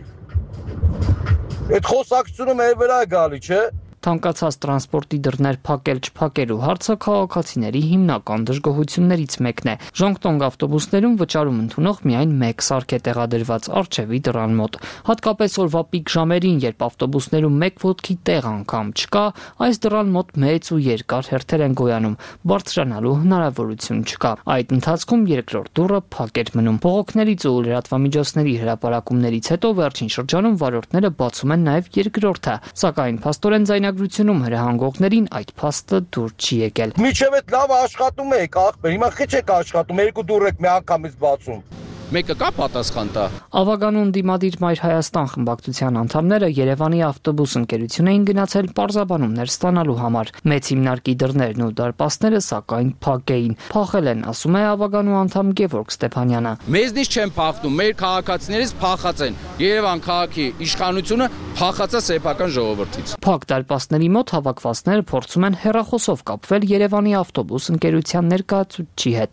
Q: Այդ խոսակցությունը մեր վրա է գալի, չէ՞։
D: Թանկացած տրանսպորտի դռներ փակել չփակելու հարցը քաղաքացիների հիմնական դժգոհություններից մեկն է։ Ժոնգտոնգ ավտոբուսներում վճարում ընդունող միայն մեկ սարք է տեղադրված առջևի դռան մոտ։ Հատկապես օրվա պիկ ժամերին, երբ ավտոբուսներում մեկ ոտքի տեղ անգամ չկա, այս դռան մոտ մեծ ու երկար հերթեր են գոյանում, բարձրանալու հնարավորություն չկա։ Այդ ընթացքում երկրորդ դուռը փակ էր մնում։ Բողոքներից ու լրատվամիջոցների հրապարակումներից հետո վերջին շրջանում վարորդները բացում են նաև երկրորդը, սակայն փաստորեն ձայնագրությունում հրահանգողներին այդ փաստը դուր չի եկել։
Q: Միջև այդ լավ աշխատում եք, ախպեր, հիմա քիչ եք աշխատում, երկու դուռ եք մի անգամից բացում։
R: Մեկը կա պատասխան տա։
D: Ավագանուն դիմադիր Մայր Հայաստան խմբակցության անդամները Երևանի ավտոբուս ընկերություն էին գնացել պարզաբանումներ ստանալու համար։ Մեծ հիմնարկի դռներն ու դարպասները սակայն փակ էին։ Փախել են, ասում է ավագանու անդամ Գևորգ Ստեփանյանը։
R: Մեզնից չեն փախնում, մեր քաղաքացիներից փախած են։ Երևան քաղաքի իշխանությունը փախած է սեփական ժողովրդից։
D: Փակ դարպասների մոտ հավաքվածները փորձում են հեռախոսով կապվել Երևանի ավտոբուս ընկերության ներկայացուցչի հետ։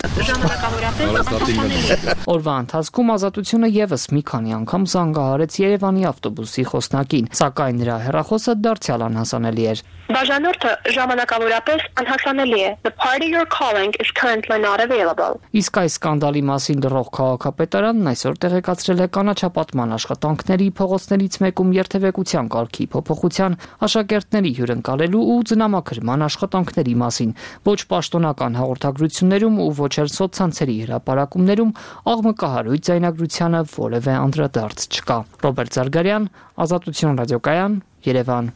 D: Օրվա ընթացքում Ազատությունը եւս մի քանի անգամ զանգահարեց Երևանի ավտոբուսի խոսնակին, սակայն նրա հեռախոսը դարձյալ անհասանելի էր։
S: Բաժանորդը ժամանակավորապես անհասանելի է. The party you're calling is currently not available.
D: Իսկ այս սկանդալի մասին լրող քաղաքապետարանն այսօր տեղեկացրել է կանաչապատման աշխատանքների փողոցներից մեկում երթևեկության կարգի փոփոխության, աշակերտների հյուրընկալելու ու ձնամաքրման աշխատանքների մասին։ Ոչ պաշտոնական հաղորդագրություններում ու ոչ էլ սոցցանցերի հրապարակումներում աղմկահարույց ձայնագրությանը որևէ անդրադարձ չկա։ Ռոբերտ Զարգարյան, Ազատություն ռադիոկայան, Երևան։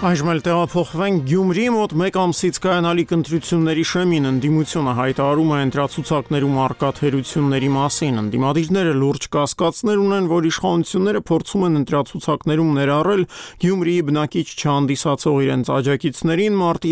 A: Այժմ էլ տեղափոխվենք Գյումրի մոտ մեկ ամսից կայանալիք ընտրությունների շեմին ընդդիմությունը հայտարարում է ընտրացուցակներում առկա թերությունների մասին։ Ընդդիմադիրները լուրջ կասկածներ ունեն, որ իշխանությունները փորձում են ընտրացուցակներում ներառել Գյումրիի բնակիչ չհանդիսացող իրենց աջակիցներին մարտի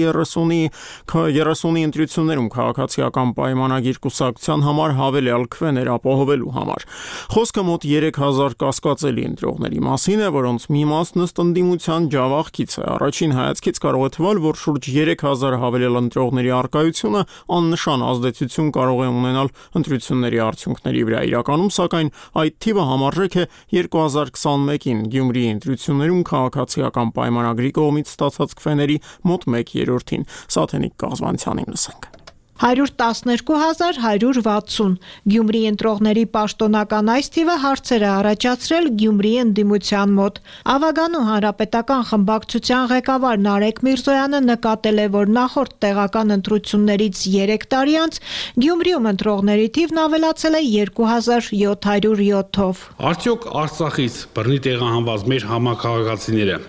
A: երեսունի ընտրություններում քաղաքացիական պայմանագիր կուսակցության համար հավելյալ քվեներ ապահովելու համար։ Խոսքը մոտ երեք հազար կասկածելի ընտրողների մասին է, որոնց մի մասն ըստ ընդդիմության ջավախքից է։ Առաջին հայացքից կարող է թվալ, որ շուրջ երեք հազար հավելյալ ընտրողների առկայությունը աննշան ազդեցություն կարող է ունենալ ընտրությունների արդյունքների վրա։ Իրականում, սակայն, այդ թիվը համարժեք է երկու հազար քսանմեկին Գյումրիի ընտրություններում քաղաքացիական պայմանագրի կողմից ստացած քվեների մոտ մեկ երրորդին։ Սաթենիկ Կազմանցյանին լսենք։
T: հարյուր տասներկու հազար հարյուր վաթսուն Գյումրիի ընտրողների պաշտոնական այս թիվը հարցեր է առաջացրել Գյումրիի ընդդիմության մոտ։ Ավագանու հանրապետական խմբակցության ղեկավար Նարեկ Միրզոյանը նկատել է, որ նախորդ տեղական ընտրություններից երեք տարի անց Գյումրիում ընտրողների թիվն ավելացել է երկու հազար յոթ հարյուր յոթով։
U: Արդյոք Արցախից բռնի տեղահանված մեր համակարգացիները,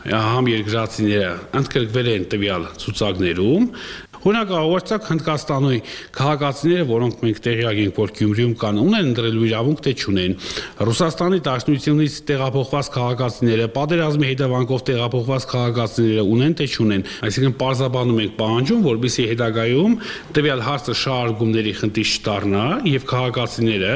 U: համերկրացիները ընդգրկվել են տվյալ ցուցակներում։ Օրինակ, Արցախ Հնդկաստանի քաղաքացիները, որոնք մենք տեղյակ ենք, որ Գյումրիում կան, ունեն ընտրելու իրավունք, թե չունեն։ Ռուսաստանի Դաշնությունից տեղափոխված քաղաքացիները, պատերազմի հետևանքով տեղափոխված քաղաքացիները ունեն, թե չունեն։ Այսինքն պարզաբանում ենք պահանջում, որպեսզի հետագայում տվյալ հարցը շահարկումների խնդիր չդառնա եւ քաղաքացիները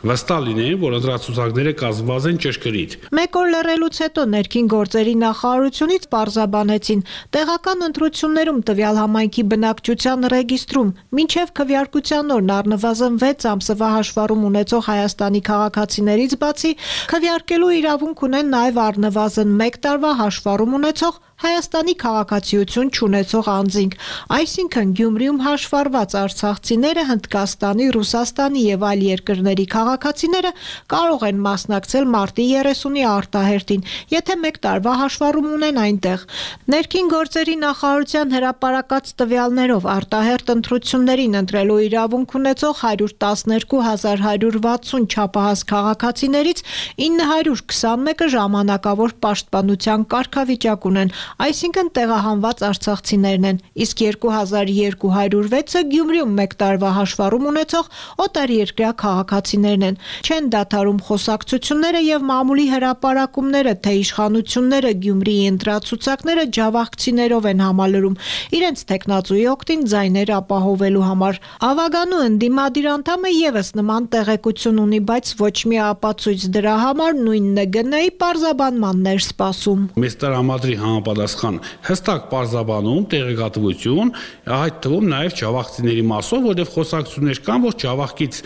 U: վստահ լինեն, որ ընտրացուցակները կազմված են ճշգրիտ։
T: Մեկ օր լռելուց հետո ներքին գործերի նախարարությունից պարզաբանեցին, տեղական ընտրություններում տվյալ համայնքի բնակչության ռեգիստրում մինչև քվեարկության օրն առնվազն վեց ամսվա հաշվառում ունեցող Հայաստանի քաղաքացիներից բացի քվեարկելու իրավունք ունեն նաև առնվազն մեկ տարվա հաշվառում ունեցող Հայաստանի քաղաքացիություն չունեցող անձինք, այսինքն Գյումրիում հաշվառված արցախցիները, Հնդկաստանի, Ռուսաստանի եւ այլ երկրների քաղաքացիները կարող են մասնակցել մարտի երեսունի արտահերտին, եթե մեկ տարվա հաշվառում ունեն այնտեղ։ Ներքին գործերի նախարարության հրապարակած տվյալներով արտահերտ ընտրություններին ընտրելու իրավունք ունեցող հարյուր տասներկու հազար հարյուր վաթսուն չափահաս քաղաքացիներից ինը հարյուր քսանմեկը ժամանակավոր պաշտպանության կարգավիճակ ունեն, այսինքն տեղահանված արցախցիներն են, իսկ երկու հազար երկու հարյուր վեցը Գյումրիում մեկ տարվա հաշվառում ունեցող օտարերկրյա քաղաքացիներն են։ Չեն դադարում խոսակցությունները եւ մամուլի հրապարակումները, թե իշխանությունները Գյումրիի ընտրացուցակները ջավախցիներով են համալրում, իրենց տեխնացուի օգտին ձայներ ապահովելու համար։ Ավագանու ընդդիմադիր անդամը եւս նման տեղեկություն ունի, բայց ոչ մի ապացույց դրա համար նույն ՆԳՆ-ի պարզաբանմաններ սպասում։
U: Մեծ տրամադրի համապատասխան հստակ պարզաբանում տեղեկատվություն, այդ թվում նաև ջավախցիների մասով, որտեղ խոսակցություններ կան, որ ջավախից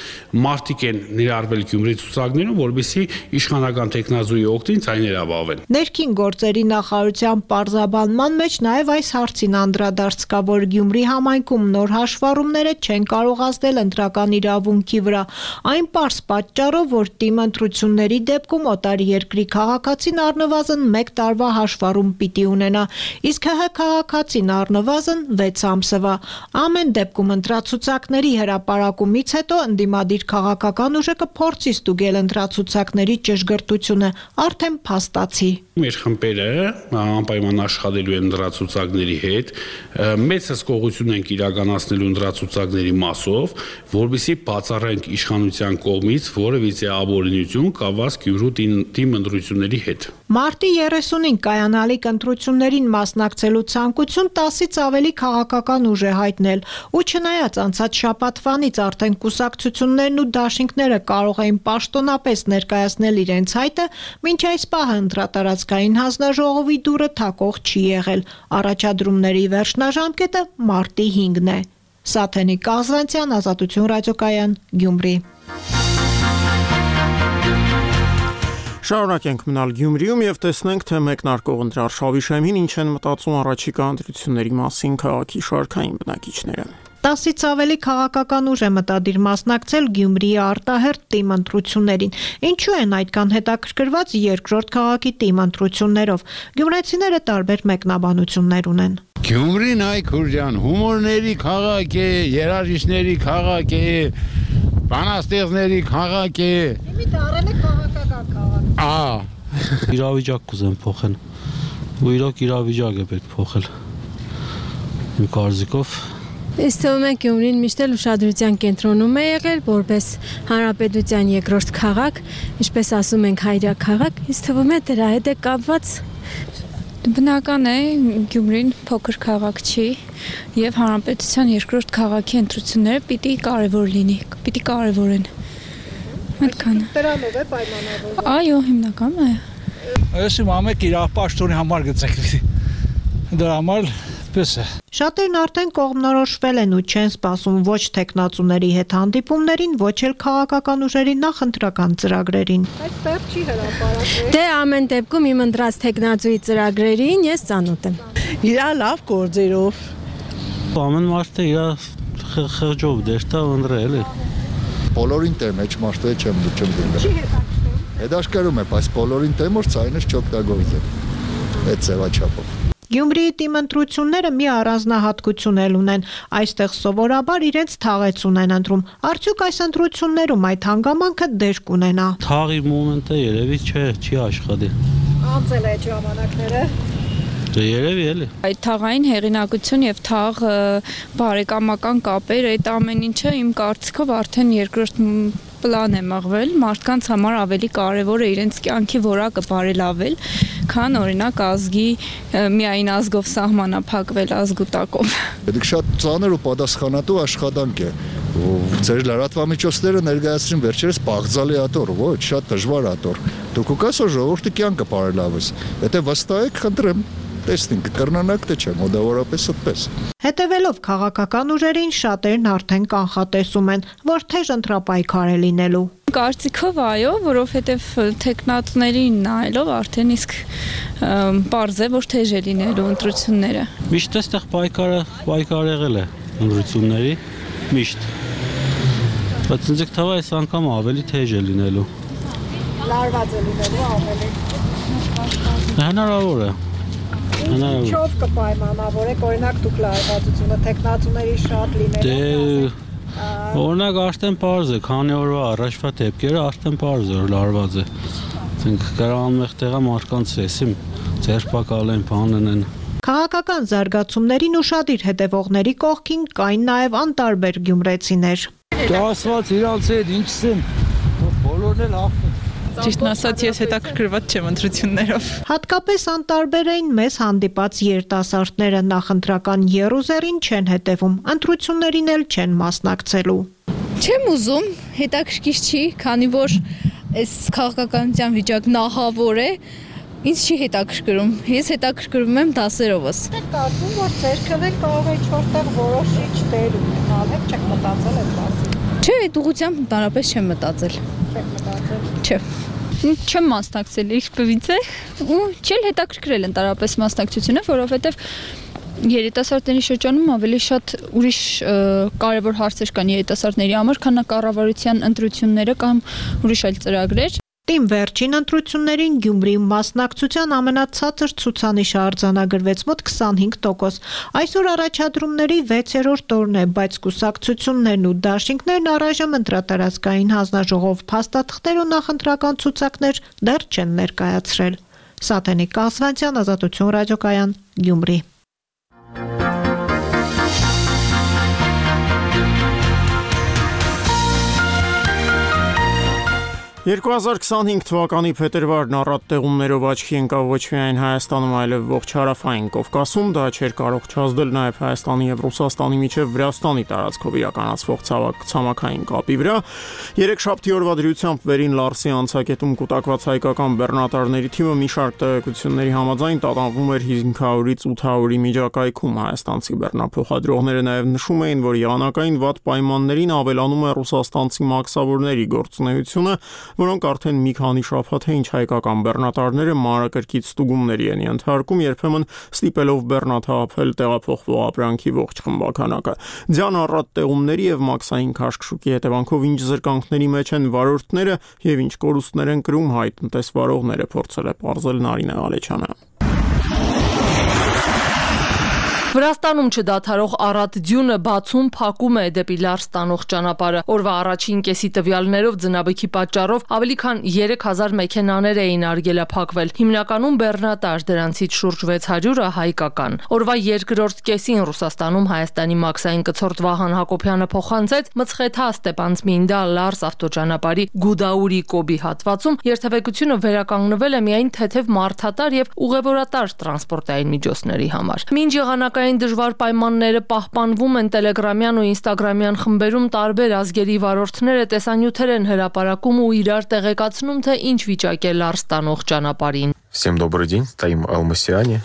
U: մարդիկ են ներառվել Գյումրի ցուցակներում, որովհետեւ իշխանական տեխնազուի օգտին ցայներ ապահովեն։
T: Ներքին գործերի նախարարության պարզաբանման մեջ նաև այս հարցին անդրադարձ կա, որ Գյումրի համայնքում նոր հաշվառումները չեն կարող ազդել ընտրական իրավունքի վրա, այն պարզ պատճառով, որ թիմ ընտրությունների դեպքում օտարերկրի քաղաքացին առնվազն մեկ տարվա հաշվառում պիտի ունենա, իսկ ՀՀ քաղաքացին առնվազն վեց ամսվա։ Ամեն դեպքում ընտրացուցակների հրապարակումից հետո ընդդիմադիր քաղաքական ուժը կփորձի ստուգել ընտրացուցակների ճշգրտությունը, արդեն փաստացի։
U: Մեր խմբերը անպայման աշխատելու են ընտրացուցակների հետ, մեծ հսկողություն ենք իրականացնելու ընտրացուցակների մասով, որովհետեւ բացառենք իշխանության կողմից որևիցե ապօրինություն կապված Գյումրու թիմ ընտրությունների հետ։
T: Մարտի երեսունին կայանալիք ընտրություններին մասնակցելու ցանկություն տասից ավելի քաղաքական ուժ է հայտնել, ու չնայած անցած շաբաթվանից արդեն կուսակցություններն ու դաշինքները կարող էին պաշտոնապես ներկայացնել իրենց հայտը, մինչ այս պահը ընտրատարածքային հանձնաժողովի դուռը թակող չի եղել։ Առաջադրումների վերջնաժամկետը մարտի հինգն է։ Սաթենիկ Կազվանցյան, Ազատություն ռադիոկայան, Գյումրի։
A: Շարունակենք մնալ Գյումրիում եւ տեսնենք, թե մեկնարկող ընտրարշավի շեմին ինչ են մտածում առաջիկա ընտրությունների մասին քաղաքի շարքային բնակիչները։
T: Տասից ավելի քաղաքական ուժ է մտադիր մասնակցել Գյումրիի արտահերտ թիմ ընտրություններին։ Ինչու են այդքան հետաքրքրված երկրորդ քաղաքի թիմ ընտրություններով։ Գյումրեցիները տարբեր մեկնաբանություններ ունեն։
B: Գյումրին այ քուրջան, հումորների քաղաք է, երաժիշտների քաղաք է, բանաստեղծների քաղաք է։ Իմի դարել է քաղաքական քաղաք։
N: Ահա։ Իրավիճակ կուզեմ փոխել։ Ու իրոք իրավիճակ է պետք փոխել։ Իմ կարծիքով
V: Ինձ թվում է Գյումրին միշտ էլ ուշադրության կենտրոնում է եղել որպես հանրապետության երկրորդ քաղաք, ինչպես ասում ենք հայրյա քաղաք, ինձ թվում է դրա հետ է կապված։
W: Բնական է Գյումրին փոքր քաղաք չի եւ հանրապետության երկրորդ քաղաքի ընտրությունները պիտի կարեւոր լինի, պիտի կարեւորեն։ Այդքանը։
T: Դրանով է պայմանավորվում։
W: Այո, հիմնական է։
X: Այսի մամեք իր պաշտոնի համար գծեք։ Դրա համար պես է։
T: Շատերն արդեն կողմնորոշվել են ու չեն սպասում ոչ տեխնացուների հետ հանդիպումներին, ոչ էլ քաղաքական ուժերի նախընտրական ծրագրերին։
V: Բայց տեղ չի հրապարակվել։ Դե ամեն դեպքում իմ ընտրած տեխնացուի ծրագրերին ես ծանոթ եմ։
F: Իրա լավ գործերով։
N: Ամեն մարդը իր խղճով դերտա ընտրել է։
Y: Բոլորին տեմ էջ մարդը չեմ չեմ դիմել։ Չի հետաքրքրում։ Հետաքրքրում է, բայց բոլորին տեմ որ ցայնը չօգտագործել։ Այդ ձևաչափով։
T: Գյումրիի թիմ ընտրությունները մի առանձնահատկություն էլ ունեն։ Այստեղ սովորաբար իրենց թաղեցուն են ընտրում։ Արդյոք այս ընտրություններում այդ հանգամանքը դեր կունենա։
N: Թաղի մոմենտը երևի չէ, չի աշխատի։
T: Անցել է ժամանակները։
N: Դե երևի էլի։
W: Այդ թաղային հեղինակություն եւ թաղ բարեկամական կապեր, այդ ամեն ինչը իմ կարծիքով արդեն երկրորդ պլան է մղվել, մարդկանց համար ավելի կարևոր է իրենց կյանքի որակը բարելավել, քան օրինակ ազգի միայն ազգով սահմանափակվել ազգուտակով։
Y: Դա շատ ծանր ու պատասխանատու աշխատանք է։ Ձեր լրատվամիջոցները ներկայացրին վերջերս բաղձալի աթոռ, ոչ, շատ դժվար աթոռ։ Դուք ուկաս որ ժողովրդի կյանքը բարելավես։ Եթե վստահ եք, խնդրեմ։ տեսնենք կկրնանանք թե չէ, մոտավորապես այդպես։
T: Հետևելով քաղաքական ուժերին շատերն արդեն կանխատեսում են, որ թեժ ընտրապայքար է լինելու։
W: Կարծիքով այո, որովհետև տեխնատներին նայելով արդեն իսկ պարզ է, որ թեժ է լինելու ընտրությունները։
N: Միշտ այստեղ պայքարը պայքար եղել է ընտրությունների, միշտ։ Բայց ինձ թվա այս անգամ ավելի թեժ է լինելու։
T: Լարված է լինելու ավելի։
N: Հնարավոր է։ Հնարավոր։
T: Ինչով կպայմանավորեք, օրինակ դուք լարվածությունը տեխնատուների շատ լինելու։
N: Օրինակ արդեն պարզ է, քանի օրվա առաջվա դեպքերը արդեն պարզ է, որ լարված է։ Ասենք կարողանում եք տեղա մարդկանց էսիմ, ձերբակալ են, բանեն են։
T: Քաղաքական զարգացումներին ուշադիր հետևողների կողքին կային նաև անտարբեր գյումրեցիներ։
X: Դա ասված իրանց հետ ինչս են, բոլորն էլ հաղթում։
W: Ճիշտն ասած, ես հետաքրքրված չեմ ընտրություններով։
T: Հատկապես անտարբեր էին մեզ հանդիպած երիտասարդները, նախընտրական եռուզեռին չեն հետևում, ընտրություններին էլ չեն մասնակցելու։
W: Չեմ ուզում, հետաքրքիր չի, քանի որ այս քաղաքականության վիճակն ահավոր է, ինձ չի հետաքրքրում։ Ես հետաքրքրվում եմ դասերովս։
T: Եք կարծում, որ ձեր քվեն կարող է ինչ-որտեղ որոշիչ դեր ունենալ, եք չեք մտածել այդ բացի։
W: Չէ, այդ ուղղությամբ ընդհանրապես չեմ մտածել։
T: Չեք մտածել։
W: Չէ։ Չեմ մասնակցել իշխպվից է ու չել հետաքրքրել ընդհանրապես մասնակցությունը, որովհետև երիտասարդների շրջանում ավելի շատ ուրիշ կարևոր հարցեր կան երիտասարդների համար, քան կառավարության ընտրությունները կամ ուրիշ այլ ծրագրեր։
T: Իմ վերջին ընտրություններին Գյումրիի մասնակցության ամենացածր ցուցանիշը արձանագրվեց մոտ քսանհինգ տոկոս։ Այսօր առաջադրումների վեցերորդ օրն է, բայց կուսակցություններն ու դաշինքներն առայժմ ընտրատարածքային հանձնաժողով փաստաթղթեր ու նախընտրական ցուցակներ դեռ չեն ներկայացրել։ Սաթենիկ Կասվանցյան, Ազատություն ռադիոկայան, Գյումրի։
A: երկու հազար քսանհինգ թվականի փետրվարն առատ տեղումներով աչքի ընկավ ոչ միայն Հայաստանում, այլև ողջ հարավային Կովկասում, դա չէր կարող չազդել նաև Հայաստանի եւ Ռուսաստանի միջև Վրաստանի տարածքով իրականացվող ցամաքային կապի վրա։ Երեքշաբթի օրվա դրությամբ Վերին Լարսի անցակետում կուտակված հայկական բեռնատարների թիմը մի շարք տեղեկությունների համաձայն տատանվում էր հինգ հարյուրից ութ հարյուրի միջակայքում։ Հայաստանցի բեռնափոխադրողները նաև նշում էին, որ եղանակային վատ պայմաններին ավելանում է ռուսաստանցի մաքսավորների գործունեությունը, որոնք արդեն մի քանի շաբաթ է ինչ հայկական բեռնատարները մանրակրկիտ ստուգումների են ենթարկում, երբեմն ստիպելով բեռնաթափել տեղափոխվող ապրանքի ողջ խմբականակը։ Ձյան առատ տեղումների եւ մաքսային քաշքշուկի հետևանքով ինչ զրկանքների մեջ են վարորդները եւ ինչ կորուստներ են կրում հայ տնտեսվարողները, փորձել է պարզել Նարինե Ալեչյանը։
C: Վրաստանում չդադարող առատ ձյունը բացում փակում է դեպի Լար ստանող ճանապարհը։ Օրվա առաջին կեսի տվյալներով ձնաբիքի պատճառով ավելի քան երեք հազար մեքենաներ էին արգելափակվել։ Հիմնականում բեռնատար, դրանցից շուրջ վեց հարյուրը հայկական։ Օրվա երկրորդ կեսին Ռուսաստանում Հայաստանի մաքսային կցորդ Վահան Հակոբյանը փոխանցեց Մցխեթա Ստեփանցմինդա Լարս ավտոճանապարհի Գուդաուրի Կոբի հատվածում երթևեկությունը վերականգնվել է միայն թեթև մարդատար եւ ուղևորատար տրանսպորտային միջոցների համար։ Մինչ եղանակային դժվար պայմանները պահպանվում են Տելեգրամյան ու Ինստագրամյան խմբերում, տարբեր ազգերի վարորդները տեսանյութեր են հրապարակում ու իրար տեղեկացնում, թե ինչ վիճակ է Լար ստանող ճանապարհին։
E: Всем добрый день, стоим Алмасяне.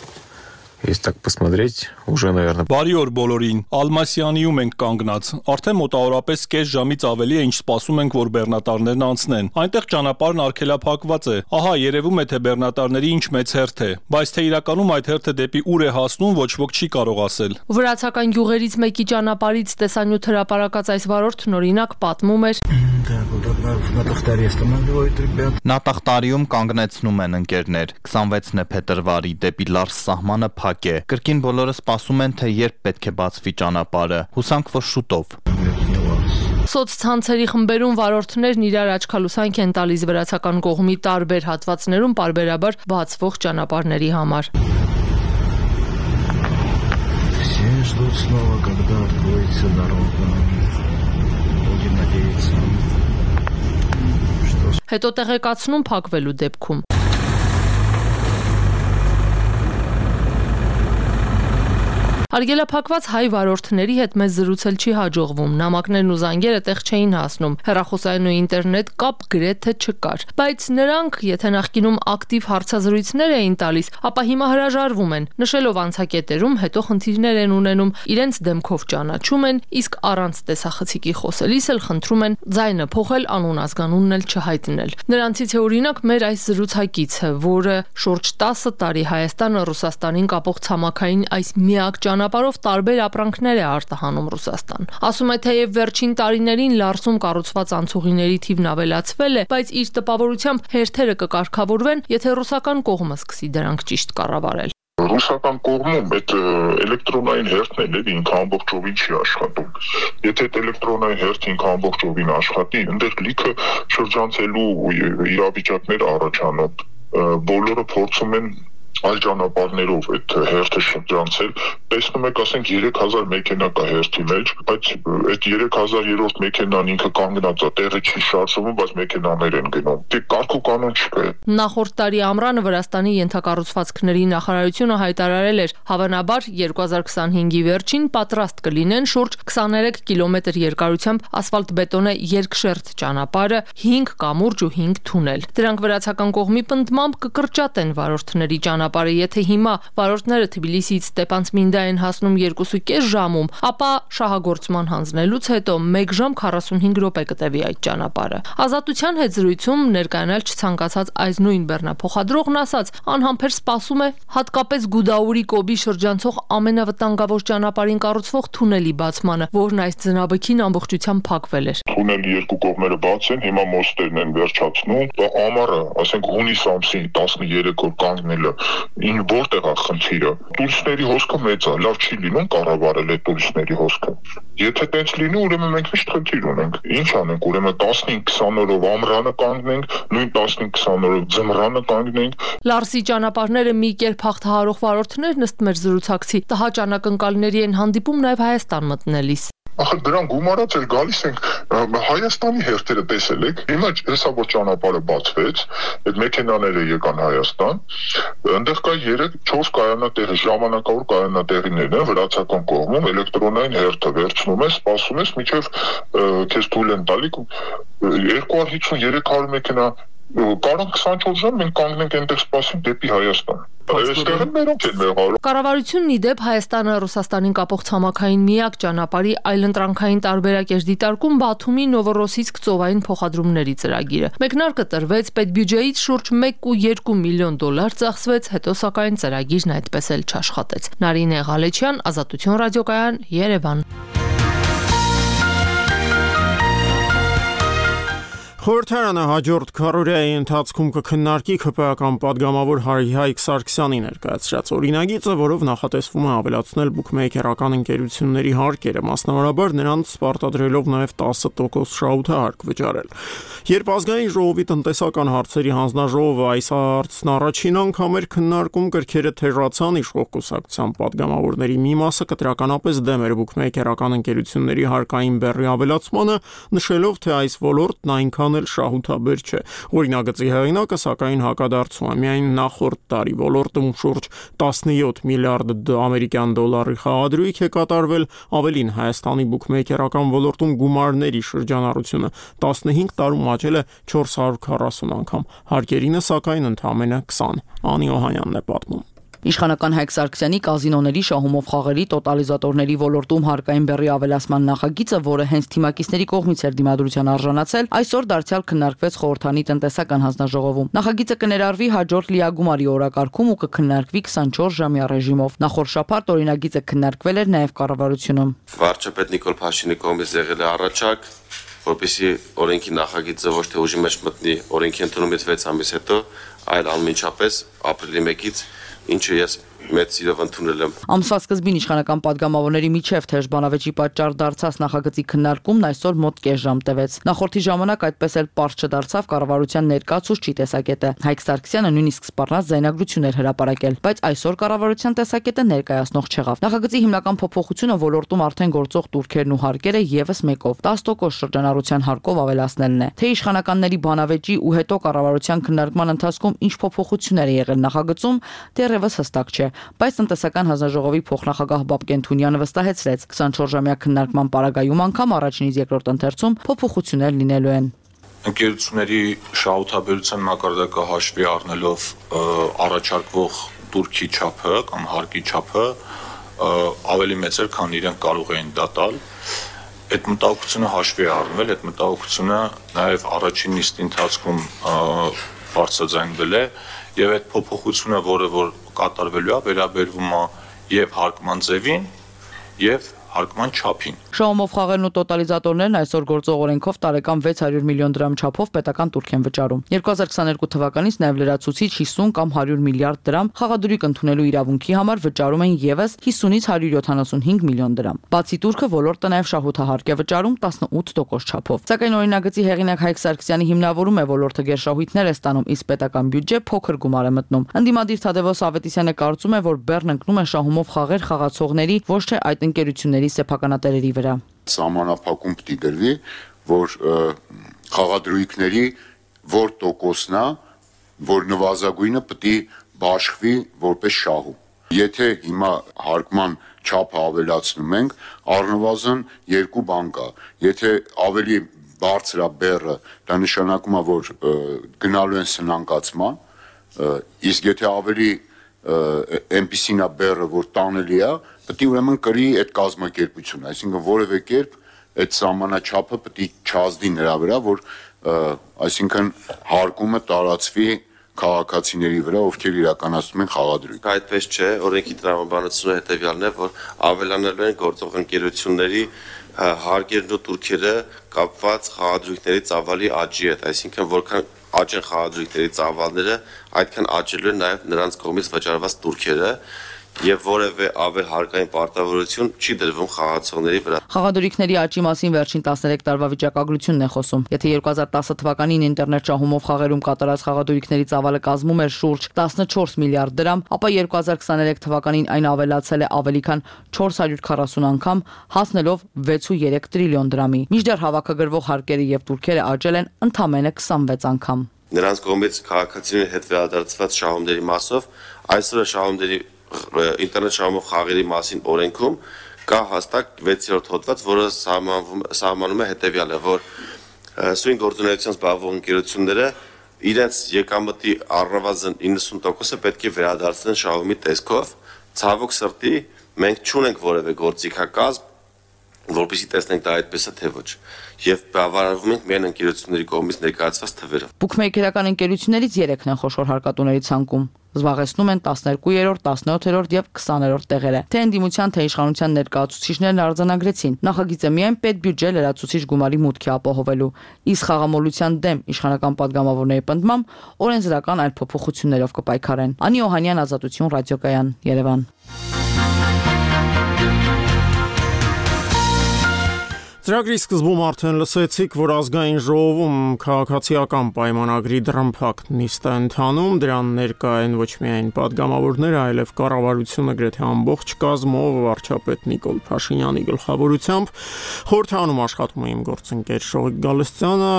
E: Если так посмотреть, уже, наверное...
G: Բարի օր բոլորին, Ալմասյանիում ենք կանգնած, արդեն մոտավորապես կես ժամից ավելի է ինչ սպասում ենք, որ բեռնատարներն անցնեն, այնտեղ ճանապարհն արգելափակված է, ահա երևում է, թե բեռնատարների ինչ մեծ հերթ է, բայց թե իրականում այդ հերթը դեպի ուր է հասնում, ոչ ոք չի կարող ասել։
C: Վրացական գյուղերից մեկի ճանապարհից տեսանյութ հրապարակած այս վարորդն օրինակ պատմում էր.
H: Նատախտարիում կանգնեցնում են ընկերներ, քսանվեցն է փետրվարի դեպի Լարս սահմանը փակ է, կրկին բոլորը սպասում են, թե երբ պետք է բացվի ճանապարհը, հուսանք, որ շուտով։
C: Սոցցանցերի խմբերում վարորդներն իրար աչքալուսանք են տալիս վրացական կողմի տարբեր հատվածներում պարբերաբար բացվող ճանապարհների համար։ Հետո տեղեկացնում փակվելու դեպքում։ Արգելափակված հայ վարորդների հետ մեզ զրուցել չի հաջողվում, նամակներն ու զանգերը տեղ չէին հասնում, հեռախոսային ու ինտերնետ կապ գրեթե չկար, բայց նրանք, եթե նախկինում ակտիվ հարցազրույցներ էին տալիս, ապա հիմա հրաժարվում են, նշելով անցակետերում, հետո խնդիրներ են ունենում, իրենց դեմքով ճանաչում են, իսկ առանց տեսախցիկի խոսելիս էլ խնդրում են ձայնը փոխել, անուն ազգանունն էլ չհայտնել։ Նրանցից է օրինակ մեր այս զրուցակիցը, որը շուրջ տասը տարի Հայաստանը Ռուսաստանին կապող ցամաքային այս միակ ճանապարհով տարբեր ապրանքներ է արտահանում Ռուսաստան։ Ասում է, թեև վերջին տարիներին Լարսում կառուցված անցուղիների թիվն ավելացվել է, բայց իր տպավորությամբ հերթերը կկարգավորվեն, եթե ռուսական կողմը սկսի դրանք ճիշտ կառավարել։
I: Ռուսական կողմում այդ էլեկտրոնային հերթն էլ ինքը ամբողջովին չի աշխատում։ Եթե այդ էլեկտրոնային հերթը ինքը ամբողջովին աշխատի, այնտեղ լիքը շրջանցելու իրավիճակներ առաջանում։ Բոլորը փորձում են այլ ճանապարհներով այդ հերթը շրջանցել, տեսնում եք, ասենք երեք հազար մեքենա կա հերթի մեջ, բայց այդ երեք հազարերորդ մեքենան ինքը կանգնած է, տեղը չի շարժվում, բայց մեքենաներ են գնում։ Դե կարգ ու կանոն չկա։
C: Նախորդ տարի ամռանը Վրաստանի ենթակառուցվածքների նախարարությունը հայտարարել էր, հավանաբար երկու հազար քսանհինգի վերջին պատրաստ կլինեն շուրջ քսաներեք կիլոմետր երկարությամբ ասֆալտբետոնե երկշերտ ճանապարհը, հինգ կամուրջ ու հինգ թունել։ Դրանք վրացական կողմի պնդմամբ կկրճատեն վարորդների ճանապարհը, եթե հիմա վարորդները Թբիլիսիից Ստեփանցմինդա են հասնում երկու կես ժամում, ապա շահագործման հանձնելուց հետո մեկ ժամ քառասունհինգ րոպե կտևի այդ ճանապարհը։ Ազատության հետ զրույցում ներկայանալ չցանկացած այս նույն բեռնափոխադրողն ասաց, անհամբեր սպասում է հատկապես Գուդաուրի կոբի շրջանցող ամենավտանգավոր ճանապարհին կառուցվող թունելի բացմանը, որն այս ձնաբքին ամբողջությամբ փակվել էր։
I: Թունելի երկու կողմերը բաց են, հիմա մոստերն են վերջացնում, ամառը, ասենք հունիս ամսի տասներեք օր կանգնելը ին որտեղ է խնդիրը։ Տուրիստների հոսքը մեծ է, լավ չի լինում կառավարել այդ տուրիստների հոսքը։ Եթե տենց լինի, ուրեմն մենք միշտ խնդիր ունենք։ Ինչ անենք, ուրեմն տասնհինգ քսան օրով ամռանը կանգնենք, նույն տասնհինգ քսան օրով ձմռանը կանգնենք։
C: Լարսի ճանապարհները մի կերպ հաղթահարող վարորդներն ըստ մեր զրուցակցի տհաճ անակնկալների են հանդիպում նաև Հայաստան մտնելիս։
I: Ախր դրան գումարած էլ գալիս ենք Հայաստանի հերթերը տեսել եք, հիմա հեսա որ ճանապարհը բացվեց, այդ մեքենաները եկան Հայաստան, այնտեղ կա երեք չորս կայանատեղ, ժամանակավոր կայանատեղիներն են վրացական կողմում, էլեկտրոնային հերթը վերցնում ես, սպասում ես, մինչև քեզ թույլ են տալի երկու հարյուր հիսուն երեք հարյուր մեքենա կարող քսանչորս ժամ մենք կանգնենք այնտեղ սպասենք դեպի Հայաստան։ Այստեղ են մերոնք են մեղավոր։
C: Կառավարությունն ի դեպ Հայաստանը Ռուսաստանին կապող ցամաքային միակ ճանապարհի այլընտրանքային տարբերակ էր դիտարկում Բաթումի Նովորոսիցկ ծովային փոխադրումների ծրագիրը։ Մեկնարկը տրվեց, պետբյուջեից շուրջ մեկ կόμμα երկու միլիոն դոլար ծախսվեց, հետո սակայն ծրագիրն այդպես էլ չաշխատեց։ Նարինե Ղալեչյան, Ազատություն ռադիոկայան, Երևան։
A: Խորհրդարանը հաջորդ քառօրյայի ընթացքում կքննարկի ՔՊԱ-ական պատգամավոր Հայկ Սարգսյանի ներկայացրած օրինագիծը, որով նախատեսվում է ավելացնել բուքմեյքերական ընկերությունների հարկերը, մասնավորաբար նրանց պարտադրելով նաև տասը տոկոս շահութահարկ վճարել։ Երբ ազգային ժողովի տնտեսական հարցերի հանձնաժողովը այս հարցն առաջին անգամ էր քննարկում, կրքերը թերացան, իշխող կուսակցության պատգամավորների մի մասը կտրականապես դեմ էր բուքմեյքերական ընկերությունների հարկային բեռի ավելացմանը, նշելով, թե այս ոլորտն այնքան շահութաբեր չէ։ Օրինագծի հեղինակը սակայն հակադարձում է, միայն նախորդ տարի ոլորտում շուրջ տասնյոթ միլիարդ ամերիկյան դոլարի խաղադրույք է կատարվել, ավելին Հայաստանի բուքմեյքերական ոլորտում գումարների շրջանառությունը տասնհինգ տարում աճել է չորս հարյուր քառասուն անգամ, հարկերինը սակայն ընդամենը քսան։ Անի Օհանյանն է պատմում։
J: Իշխանական Հայկ Սարգսյանի կազինոների շահումով խաղերի տոտալիզատորների ոլորտում հարկային բեռի ավելացման նախագիծը, որը հենց թիմակիցների կողմից էր դիմադրության արժանացել, այսօր դարձյալ քննարկվեց խորհրդանի տնտեսական հանձնաժողովում։ Նախագիծը կներառվի հաջորդ լիագումարի օրակարգում ու կքննարկվի քսանչորս ժամյա ռեժիմով։ Նախորդ շաբաթ օրինագիծը քննարկվել էր նաև կառավարությունում։
K: Վարչապետ Նիկոլ Փաշինյանի կողմից եղել է առաջարկ, որպեսզի օրենքի նախագիծը ոչ թե ուժի մեջ մտնի օրենքի ընդունումից վեց ամիս հետո, այլ անմիջապես ապրիլի մեկից, ինչը ես մեծ սիրով ընդունել եմ։
J: Ամսվա սկզբին իշխանական պատգամավորների միջև թեժ բանավեճի պատճառ դարձած նախագծի քննարկումն այսօր մոտ կես ժամ տևեց։ Նախորդի ժամանակ այդպես էլ պարզ չդարձավ կառավարության ներկայացուցչի տեսակետը։ Հայկ Սարգսյանը նույնիսկ սպառնաց ձայնագրություն էր հրապարակել, բայց այսօր կառավարության տեսակետը ներկայացնող չեղավ։ Նախագծի հիմնական փոփոխությունը ոլորտում արդեն գործող տուրքերն ու հարկերը եւս մեկով տասը տոկոս շրջանառության հարկով ավելացնելն է։ Թե իշխանականների բանավեճի ու հետո կառավարության քննարկման ընթացքում ինչ փոփոխություններ է եղել նախագծում, դեռևս հստակ չէ։ բայց տնտեսական հանձնաժողովի փոխնախագահ Բաբկեն Թունյանը վստահեցրեց, քսանչորս-ժամյա քննարկման պարագայում անգամ առաջինից երկրորդ ընթերցում փոփոխություններ լինելու են։
L: Ընկերությունների շահութաբերության մակարդակը հաշվի առնելով առաջարկվող турքի չափը կամ հարկի չափը ավելի մեծ էր, քան իրենք կարող էին դա տալ։ Այդ մտահոգությունը հաշվի առնվել, այդ մտահոգությունը նաև առաջին նիստի ընթացքում բարձրաձայնվել է եւ այդ փոփոխությունը, որը որ կատարվելու է, վերաբերվում է եւ հարկման ձևին եւ հարկման չափին։
J: Շահումով խաղերն ու տոտալիզատորներն այսօր գործող օրենքով տարեկան վեց հարյուր միլիոն դրամ չափով պետական տուրք են վճարում։ երկու հազար քսաներկու թվականից նաև լրացուցիչ հիսուն կամ հարյուր միլիարդ դրամ խաղադրույք ընդունելու իրավունքի համար վճարում են եւս հիսունից հարյուր յոթանասունհինգ միլիոն դրամ։ Բացի տուրքը ոլորտը նաև շահութահարկ է վճարում տասնութ տոկոս չափով։ Սակայն օրինագծի հեղինակ Հայկ Սարգսյանի հիմնավորում է ոլորտը գերշահույթներ է ստանում, իսկ պետական բյուջե փոքր գումար է մտնում։ Ընդդիմադիր Թադևոս Ավետիսյանը կարծում է, որ բեռն ընկնում է շահումով խաղեր խաղացողների, ոչ թե այդ ընկերությունների սեփականատերերի վրա։
M: Սահմանափակում պիտի գրվի, որ խաղադրույքների որ տոկոսն է, որ նվազագույնը պիտի բաշխվի որպես շահում։ Եթե հիմա հարկման չափը ավելացնում ենք, առնվազն երկու բան կա։ Եթե ավելի բարձր է բեռը, դա նշանակում է, որ գնալու են սնանկացման, իսկ եթե ավելի այնպիսին է բեռը, որ տանելի է, պետք է ուրեմն կրի այդ կազմակերպությունը, այսինքն որևէ կերպ այդ սահմանաչափը պետք է չազդի նրա վրա, որ այսինքն հարկումը տարածվի քաղաքացիների վրա, ովքեր իրականացնում են խաղադրույք։
K: Այդպես չէ, օրենքի տրամաբանությունը հետևյալն է, որ ավելանելու են գործող ընկերությունների հարկերն ու տուրքերը կապված խաղադրույքների ծավալի աճի հետ, այսինքն որքան աճ են խաղադրույքների ծավալները, այդքան աճելու են նաև նրանց կողմից վճարված տուրքերը եւ որևէ ավել հարկային պարտավորություն չի դրվում խաղացողների վրա։
J: Խաղադրույքների աճի մասին վերջին տասներեք տարվա վիճակագրությունն է խոսում։ Եթե երկու հազար տասը թվականին ինտերնետ շահումով խաղերում կատարած խաղադրույքների ծավալը կազմում էր շուրջ տասնչորս միլիարդ դրամ, ապա երկու հազար քսաներեք թվականին այն ավելացել է ավելի քան չորս հարյուր քառասուն անգամ, հասնելով վեց ու երեք տրիլիոն դրամի։ Մինչդեռ հավաքագրվող հարկերը եւ տուրքերը աճել են ընդամենը քսանվեց անգամ։
K: Նրանց կողմից քաղաքացիների հետ վերադարձված շահումների մասով այսօր շահումների ինտերնետ շահումով խաղերի մասին օրենքում կա հստակ վեցերորդ հոդված, որը սահմանում է հետևյալը, որ սույն գործունեությամբ զբաղվող ընկերությունները իրենց եկամտի առնվազն իննսուն տոկոսը պետք է վերադարձնեն շահումի տեսքով։ Ցավոք սրտի մենք չունենք որևէ գործիքակազմ, որպեսզի տեսնենք դա այդպես է թե ոչ, եւ բավարարվում ենք միայն ընկերությունների կողմից ներկայացված թվերով։
J: Բուքմեյքերական ընկերություններից երեքն են խոշոր հարկատուների ցանկում։ Զբաղեցնում են տասներկուերորդ, տասնյոթերորդ եւ քսաներորդ տեղերը։ Թե ընդդիմության, թե իշխանության ներկայացուցիչներն արձանագրեցին, նախագիծը միայն պետբյուջե լրացուցիչ գումարի մուտքի ապահովելու, իսկ խաղամոլության դեմ իշխանական падգամավորների պնդմամբ օրենսդրական այլ փոփոխություններով կպայքարեն։ Անի Օհանյան, Ազատություն, ռադիոկայան, Երևան։
A: Ծրագրի սկզբում արդեն լսեցիք, որ ազգային ժողովում քաղաքացիական պայմանագրի դռնփակ նիստ է ընթանում, դրան ներկա են ոչ միայն падգամավորները, այլև կառավարությունը գրեթե ամբողջ կազմով վարչապետ Նիկոլ Փաշինյանի գլխավորությամբ։ Խորհրդանում աշխատում է իմ գործընկեր Շողիկ Գալստյանը,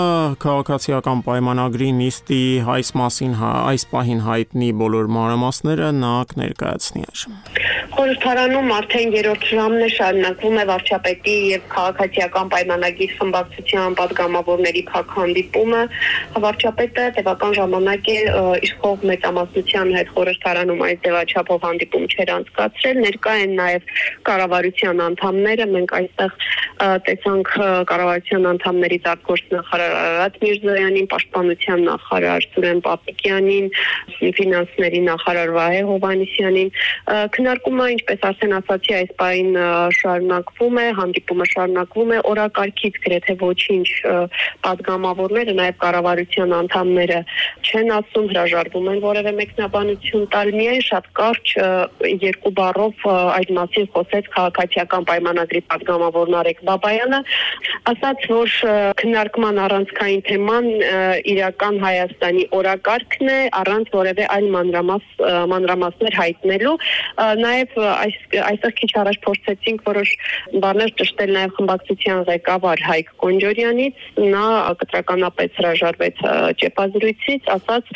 A: քաղաքացիական պայմանագրի նիստի այս մասին այս պահին հայտնի բոլոր մանրամասները նա կներկայացնի այժմ։
S: Խորհրդարանում արդեն երրորդ ժամն է շարունակվում է վարչապետի եւ քաղաքացիական պայմանագրի խմբակցության падգամավորների փակհանդիպումը։ Վարչապետը տևական ժամանակ է իշխող մեծամասնության հետ խորհրդարանում այս ձևաչափով հանդիպում չեր անցկացրել, ներկա են նաեւ կառավարության անդամները, մենք այստեղ տեսանք կառավարության անդամներից արտգործնախարար Արարատ Միրզոյանին, պաշտպանության նախարար Սուրեն Պապիկյանին, ֆինանսների նախարար Վահե Հովհաննիսյանին։ Քննարկումը, ինչպես արդեն ասացի, այս պահին շարունակվում է, հանդիպումը շարունակվում է, օրակարգից գրեթե ոչինչ падգամավորները, նաև կառավարության անդամները չեն ասում, հրաժարվում են որևէ մեկնաբանություն տալ, միայն շատ կարճ երկու բառով այդ մասին խոսեց քաղաքացիական պայմանագրի падգամավորն Արեգ Բաբայանը ասաց, որ քննարկման առանցքային թեման իրական Հայաստանի օրակարգն է, առանց որևէ այլ մանրամաս մանրամասներ հայտնելու։ Նաև այս այստեղ քիչ առաջ փորձեցինք որոշ բաներ ճշտել նաև խմբակցության ղեկավար Հայկ Կոնջորյանից, նա կտրականապես հրաժարվեց ճեպազրույցից, ասաց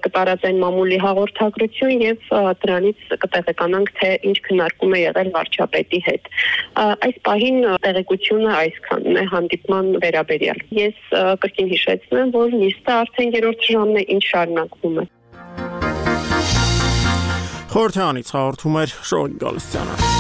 S: կտարածեն մամուլի հաղորդագրություն եւ դրանից կտեղեկանանք, թե ինչ քննարկում է եղել վարչապետի հետ։ Այս պահին տեղեկությունը այսքանն է հանդիպման վերաբերյալ։ Ես կրկին հիշեցնեմ, որ նիստը արդեն երրորդ ժամն է, ինչ շարունակվում է։
A: Խորհրդանից հաղորդում էր Շոյգ Գալստյանը։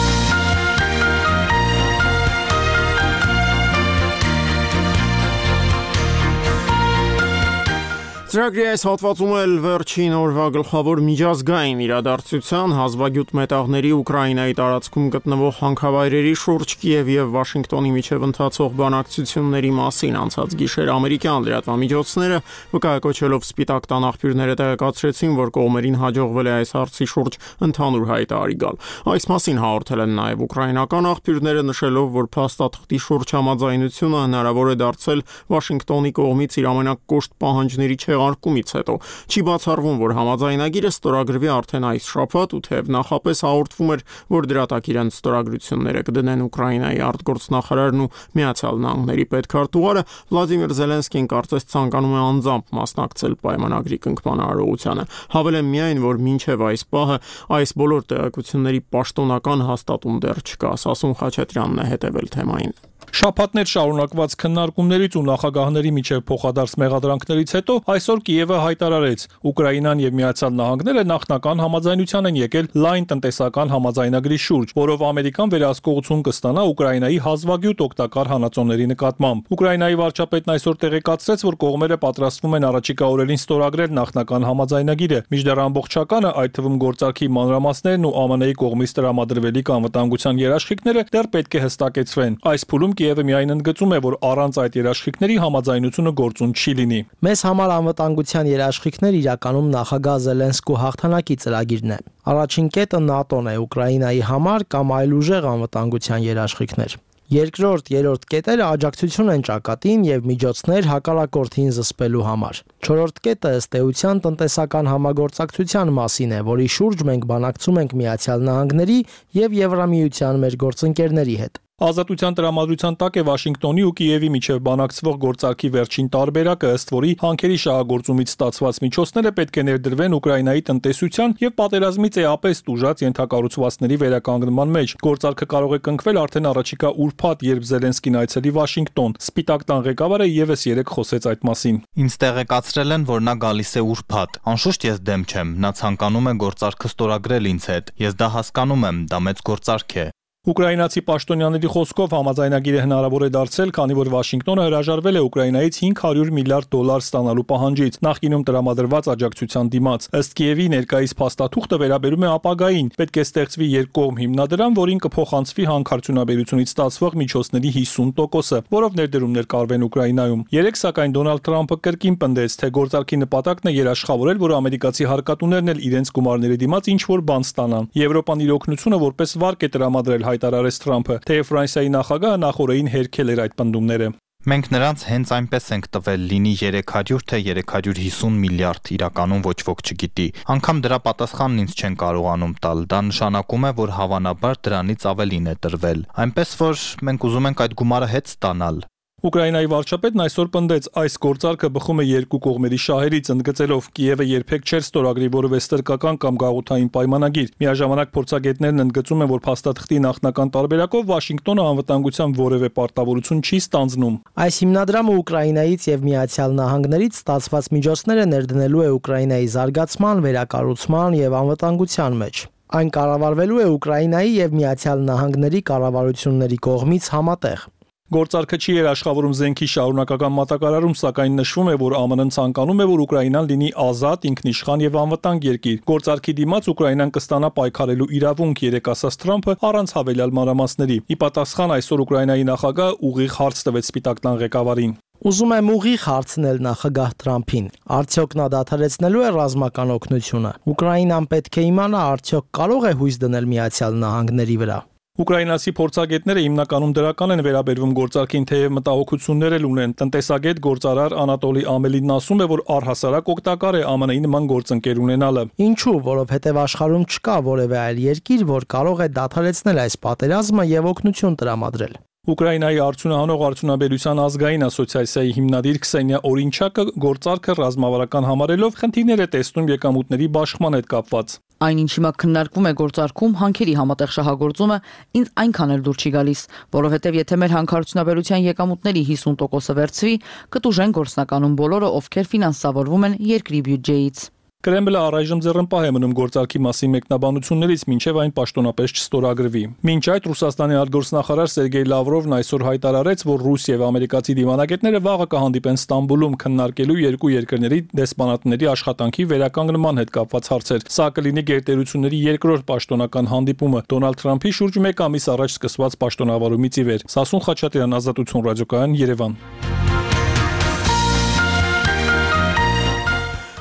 A: Ծրագրի այս հատվածում էլ վերջին օրվա գլխավոր միջազգային իրադարձության հազվագյուտ մետաղների Ուկրաինայի տարածքում գտնվող հանքավայրերի շուրջ Կիևի եւ Վաշինգտոնի միջև ընթացող բանակցությունների մասին անցած գիշեր ամերիկյան լրատվամիջոցները վկայակոչելով Սպիտակ տան աղբյուրները տեղեկացրեցին, որ կողմերին հաջողվել է այս հարցի շուրջ ընդհանուր հայտարարի գալ։ Այս մասին հաղորդել են նաեւ ուկրաինական աղբյուրները, նշելով, որ փաստաթղթի շուրջ համաձայնությունը հնարավոր է դարձել Վաշինգտոնի կողմից իր ամենակոշտ պահանջների արկումից հետո չի բացառվում, որ համաձայնագիրը ստորագրվի արդեն այս շաբաթ ու թեև նախապես հաղորդվում էր, որ դրա տակ իրենց ստորագրությունները կդնեն Ուկրաինայի արտգործնախարարն ու Միացյալ Նահանգների պետքարտուղարը, Վլադիմիր Զելենսկին կարծես ցանկանում է անձամբ մասնակցել պայմանագրի կնքման արարողությանը։ Հավելեմ միայն, որ մինչև այս պահը այս բոլոր տեղեկությունների պաշտոնական հաստատում դեռ չկա, Սասուն Խաչատրյանն է հետևել թեմային։
G: Շաբաթներ շարունակված քննարկումներից ու նախագահների միջև փոխադարձ մեղադրանքներից հետո այսօր Կիևը հայտարարեց, Ուկրաինան եւ Միացյալ Նահանգները նախնական համաձայնության են եկել լայն տնտեսական համաձայնագրի շուրջ, որով ամերիկան վերահսկողություն կստանա Ուկրաինայի հազվագյուտ օգտակար հանածոների նկատմամբ։ Ուկրաինայի վարչապետն այսօր տեղեկացրեց, որ կողմերը պատրաստվում են առաջիկա օրերին ստորագրել նախնական համաձայնագիրը, մինչդեռ ամբողջականը, այդ թվում գործարքի մանրամասներն ու ԱՄՆ-ի կողմից տրամադրվելիք անվտանգության երաշխիքները դեռ պետք է հստակեցվեն։ Այս փուլում Կիևը միայն ընդգծում է, որ առանց այդ երաշխիքների համաձայնությունը գործուն չի լինի։
D: Մեզ համար անվտանգության երաշխիքներ իրականում նախագահ Զելենսկու հաղթանակի ծրագիրն է։ Առաջին կետը ՆԱՏՕ-ն է Ուկրաինայի համար կամ այլ ուժեղ անվտանգության երաշխիքներ։ Երկրորդ, երրորդ կետերը աջակցություն են ճակատին եւ միջոցներ հակառակորդին զսպելու համար։ Չորրորդ կետը ըստ էության տնտեսական համագործակցության մասին է, որի շուրջ մենք բանակցում ենք Միացյալ Նահանգների եւ Եվրամիության մեր գործընկերների հետ։
G: Ազատության տրամադրության տակ է Վաշինգտոնի ու Կիևի միջև բանակցվող գործարքի վերջին տարբերակը, ըստ որի հանքերի շահագործումից ստացված միջոցները պետք է ներդրվեն Ուկրաինայի տնտեսության եւ պատերազմից էապես տուժած ենթակառուցվածքների վերականգնման մեջ։ Գործարքը կարող է կնքվել արդեն առաջիկա ուրբաթ, երբ Զելենսկին այցելի Վաշինգտոն։ Սպիտակ տան ղեկավարը եւս երեկ խոսեց այդ մասին։
H: Ինձ տեղեկացրել են, որ նա գալիս է ուրբաթ։ Անշուշտ ես դեմ չեմ, նա ցանկանում է գործարքը ստորագրել ինձ հետ։ Ես դա հասկանում եմ, դա մեծ գործարք է։
G: Ուկրաինացի պաշտոնյաների խոսքով համաձայնագիրը հնարավոր է դարձել, քանի որ Վաշինգտոնը հրաժարվել է Ուկրաինայից հինգ հարյուր միլիարդ դոլար ստանալու պահանջից, նախկինում տրամադրված աջակցության դիմաց։ Ըստ Կիևի ներկայիս փաստաթուղթը վերաբերում է ապագային, պետք է ստեղծվի երկկողմ հիմնադրամ, որին կփոխանցվի հանքարդյունաբերությունից ստացվող միջոցների հիսուն տոկոսը, որով ներդրումներ կարվեն Ուկրաինայում։ Երեք սակայն Դոնալդ Թրամփը կրկին պնդեց, թե գործարքի նպատակն է երաշխավորել, որ ամերիկացի հարկատուներն էլ իրենց գումարների դիմաց ինչ որ բան ստանան։ Եվրոպան իր օգնությունը որպես վարկ է տրամադրել, հայտարարեց Թրամփը, թեև Ֆրանսիայի նախագահը նախորդին հերքել էր այդ պնդումները։
H: Մենք նրանց հենց այնպես ենք տվել, լինի երեք հարյուր թե երեք հարյուր հիսուն միլիարդ, իրականում ոչ ոք չգիտի։ Անգամ դրա պատասխանն ինձ չեն կարողանում տալ, դա նշանակում է, որ հավանաբար դրանից ավելին է տրվել։ Այնպես որ մենք ուզում ենք այդ գումարը հետ ստանալ։
G: Ուկրաինայի վարչապետն այսօր պնդեց, այս գործարքը բխում է երկու կողմերի շահերից, ընդգծելով Կիևը երբեք չէր ստորագրի որևէ ստրկական կամ գաղութային պայմանագիր։ Միաժամանակ փորձագետներն ընդգծում են, որ փաստաթղթի նախնական տարբերակով Վաշինգտոնը անվտանգության որևէ պարտավորություն չի ստանձնում։
D: Այս հիմնադրամը Ուկրաինայից եւ Միացյալ Նահանգներից ստացված միջոցները ներդնելու է Ուկրաինայի զարգացման, վերակառուցման եւ անվտանգության մեջ։ Այն կառավարվելու է Ուկրաինայի եւ Միացյալ Նահանգների կառավարությունների կողմից համատեղ։
G: Գործարքը չի երաշխավորում զենքի շարունակական մատակարարում, սակայն նշվում է, որ ԱՄՆ-ն ցանկանում է, որ Ուկրաինան լինի ազատ, ինքնիշխան եւ անվտանգ երկիր։ Գործարքի դիմաց Ուկրաինան կստանա պայքարելու իրավունք, երեք ասաց Թրամփը, առանց հավելյալ մանրամասների։ Ի պատասխան այսօր Ուկրաինայի նախագահը ուղիղ հարց տվեց Սպիտակ տան ղեկավարին։
D: Ուզում եմ ուղիղ հարցնել նախագահ Թրամփին. արդյոք նա դադարեցնելու է ռազմական օգնությունը։ Ուկրաինան պետք է իմանա, արդյոք կարող է հույս դնել Միացյալ Նահանգների վրա։
G: Ուկրաինացի փորձագետները հիմնականում դրական են վերաբերվում գործարքին, թեև մտահոգություններ էլ ունեն։ Տնտեսագետ գործարար Անատոլի Ամելինն ասում է, որ առհասարակ օգտակար է Է Մ Ն-ի նման գործընկեր ունենալը։
D: Ինչու, որովհետև աշխարհում չկա որևէ այլ երկիր, որ կարող է դադարեցնել այս պատերազմը եւ օգնություն տրամադրել։
G: Ուկրաինայի արդյունահանող արդյունաբերության ազգային ասոցիացիայի հիմնադիր Քսենիա Օրինչակը գործարքը ռազմավարական համարելով խնդիրներ է տեսնում եկամուտների բաշխման հետ կապված։
J: Այն ինչ հիմա քննարկվում է գործարքում հանքերի համատեղ շահագործումը ինձ այնքան էլ դուր չի գալիս, որովհետև եթե մեր հանքարդյունաբերության եկամուտների հիսուն տոկոսը վերցվի, կտուժեն գործնականում բոլորը, ովքեր ֆինանսավորվում են երկրի բյուջեից։
G: Կրեմլը առայժմ ձեռնպահ է մնում գործարքի մասին մեկնաբանություններից, մինչև այն պաշտոնապես չստորագրվի։ Մինչ այդ Ռուսաստանի արտգործնախարար Սերգեյ Լավրովն այսօր հայտարարեց, որ Ռուսիա եւ ամերիկացի դիվանագետները վաղը կհանդիպեն Ստամբուլում քննարկելու երկու երկրների դեսպանատների աշխատանքի վերականգնման հետ կապված հարցեր։ Սա կլինի գերտերությունների երկրորդ պաշտոնական հանդիպումը Դոնալդ Թրամփի շուրջ մեկ ամիս առաջ սկսված պաշտոնավարումից ի վեր։ Սասուն Խաչատրյան, Ազատություն ռադիոկայան, Երևան։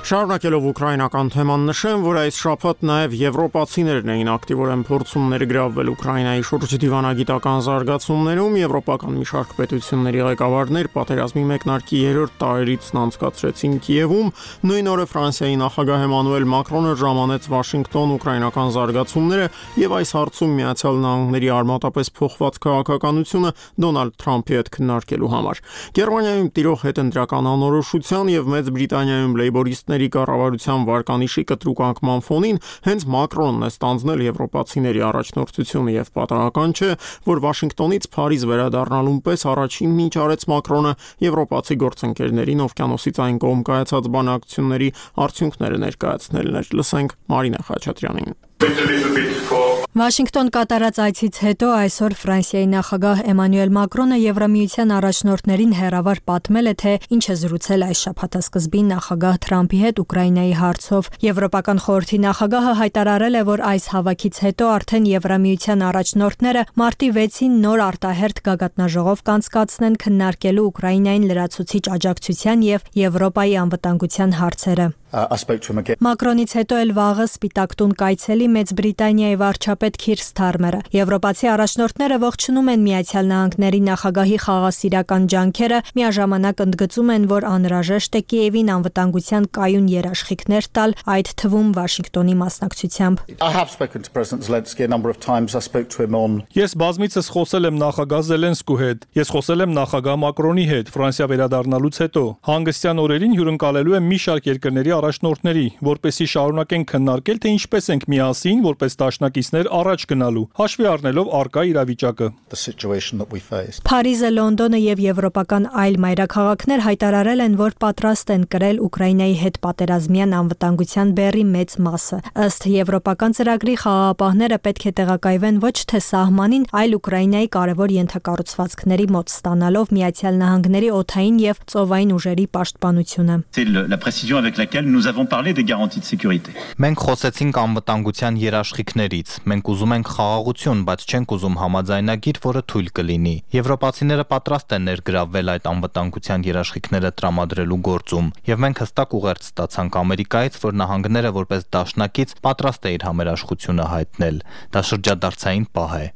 A: Շարունակելով ուկրաինական թեման նշեմ, որ այս շաբաթ նաև եվրոպացիներն էին ակտիվորեն փորձում ներգրավվել Ուկրաինայի շուրջ դիվանագիտական զարգացումներում, եվրոպական մի շարք պետությունների ղեկավարներ պատերազմի մեկնարկի երրորդ տարելիցն անցկացրեցին Կիևում, նույն օրը Ֆրանսիայի նախագահ Էմանուել Մակրոնը ժամանեց Վաշինգտոն ուկրաինական զարգացումները եւ այս հարցում Միացյալ Նահանգների արմատապես փոխված քաղաքականությունը Դոնալդ Թրամփի հետ քննարկելու համար։ Գերմանիայում տիրող հետընտրական անորոշության եւ Մեծ Բրիտանիայում լեյբորիստներ կառավարության վարկանիշի կտրուկ անկման ֆոնին հենց Մակրոնն է ստանձնել եվրոպացիների առաջնորդությունը եւ պատահական չէ, որ Վաշինգտոնից Փարիզ վերադառնալուն պես առաջինն ինչ արեց Մակրոնը եվրոպացի գործընկերներին օվկիանոսից այն կողմ կայացած բանակցությունների արդյունքները ներկայացնելն էր։ Լսենք Մարինա Խաչատրյանին։
O: Վաշինգտոն կատարած այցից հետո այսօր Ֆրանսիայի նախագահ Էմանուել Մակրոնը Եվրամիության առաջնորդներին հերավար պատմել է, թե ինչ է զրուցել այս շաբաթասկզբին նախագահ Թրամփի հետ Ուկրաինայի հարցով։ Եվրոպական խորհրդի նախագահը հայտարարել է, որ այս հավաքից հետո արդեն Եվրամիության առաջնորդները մարտի վեցին նոր արտահերթ գագաթնաժողով կանցկացնեն քննարկելու Ուկրաինային լրացուցիչ աջակցության եւ Եվրոպայի անվտանգության հարցերը։ Մակրոնից հետո էլ վաղը Սպիտակ տուն կայցելի Մեծ Բրիտանիայի վարչապետ Քիր Սթարմերը։ Եվրոպացի առաջնորդները ողջունում են Միացյալ Նահանգների նախագահի խաղաղասիրական ջանքերը, միաժամանակ ընդգծում են, որ անհրաժեշտ է Կիևին անվտանգության կայուն երաշխիքներ տալ, այդ թվում Վաշինգտոնի մասնակցությամբ։
G: Ես բազմիցս խոսել եմ նախագահ Զելենսկու հետ, ես խոսել եմ նախագահ Մակրոնի հետ Ֆրանսիա վերադառնալուց հետո։ Հանգստյան օրերին հյուրընկալելու եմ մի շարք երկրների առաջնորդների, որպեսզի շարունակենք քննարկել, թե ինչպես ենք միասին, որպես դաշնակիցներ առաջ գնալու, հաշվի առնելով առկա իրավիճակը։
O: Փարիզը, Լոնդոնը եւ եվրոպական այլ մայրաքաղաքներ հայտարարել են, որ պատրաստ են կրել Ուկրաինայի հետ պատերազմյան անվտանգության բեռի մեծ մասը։ Ըստ եվրոպական ծրագրի խաղաղապահները պետք է տեղակայվեն ոչ թե սահմանին, այլ Ուկրաինայի կարևոր ենթակառուցվածքների մոտ, ստանալով Միացյալ Նահանգների օդային եւ ծովային ուժերի պաշտպանությունը։
H: Մենք խոսեցինք անվտանգության երաշխիքներից։ Մենք ուզում ենք խաղաղություն, բայց չենք ուզում համաձայնագիր, որը թույլ կլինի։ Եվրոպացիները պատրաստ են ներգրավվել այդ անվտանգության երաշխիքները տրամադրելու գործում, եւ մենք հստակ ուղերձ ստացանք Ամերիկայից, որ նահանգները որպես դաշնակից պատրաստ է իր համերաշխությունը հայտնել։ Դա շրջադարձային պահ է։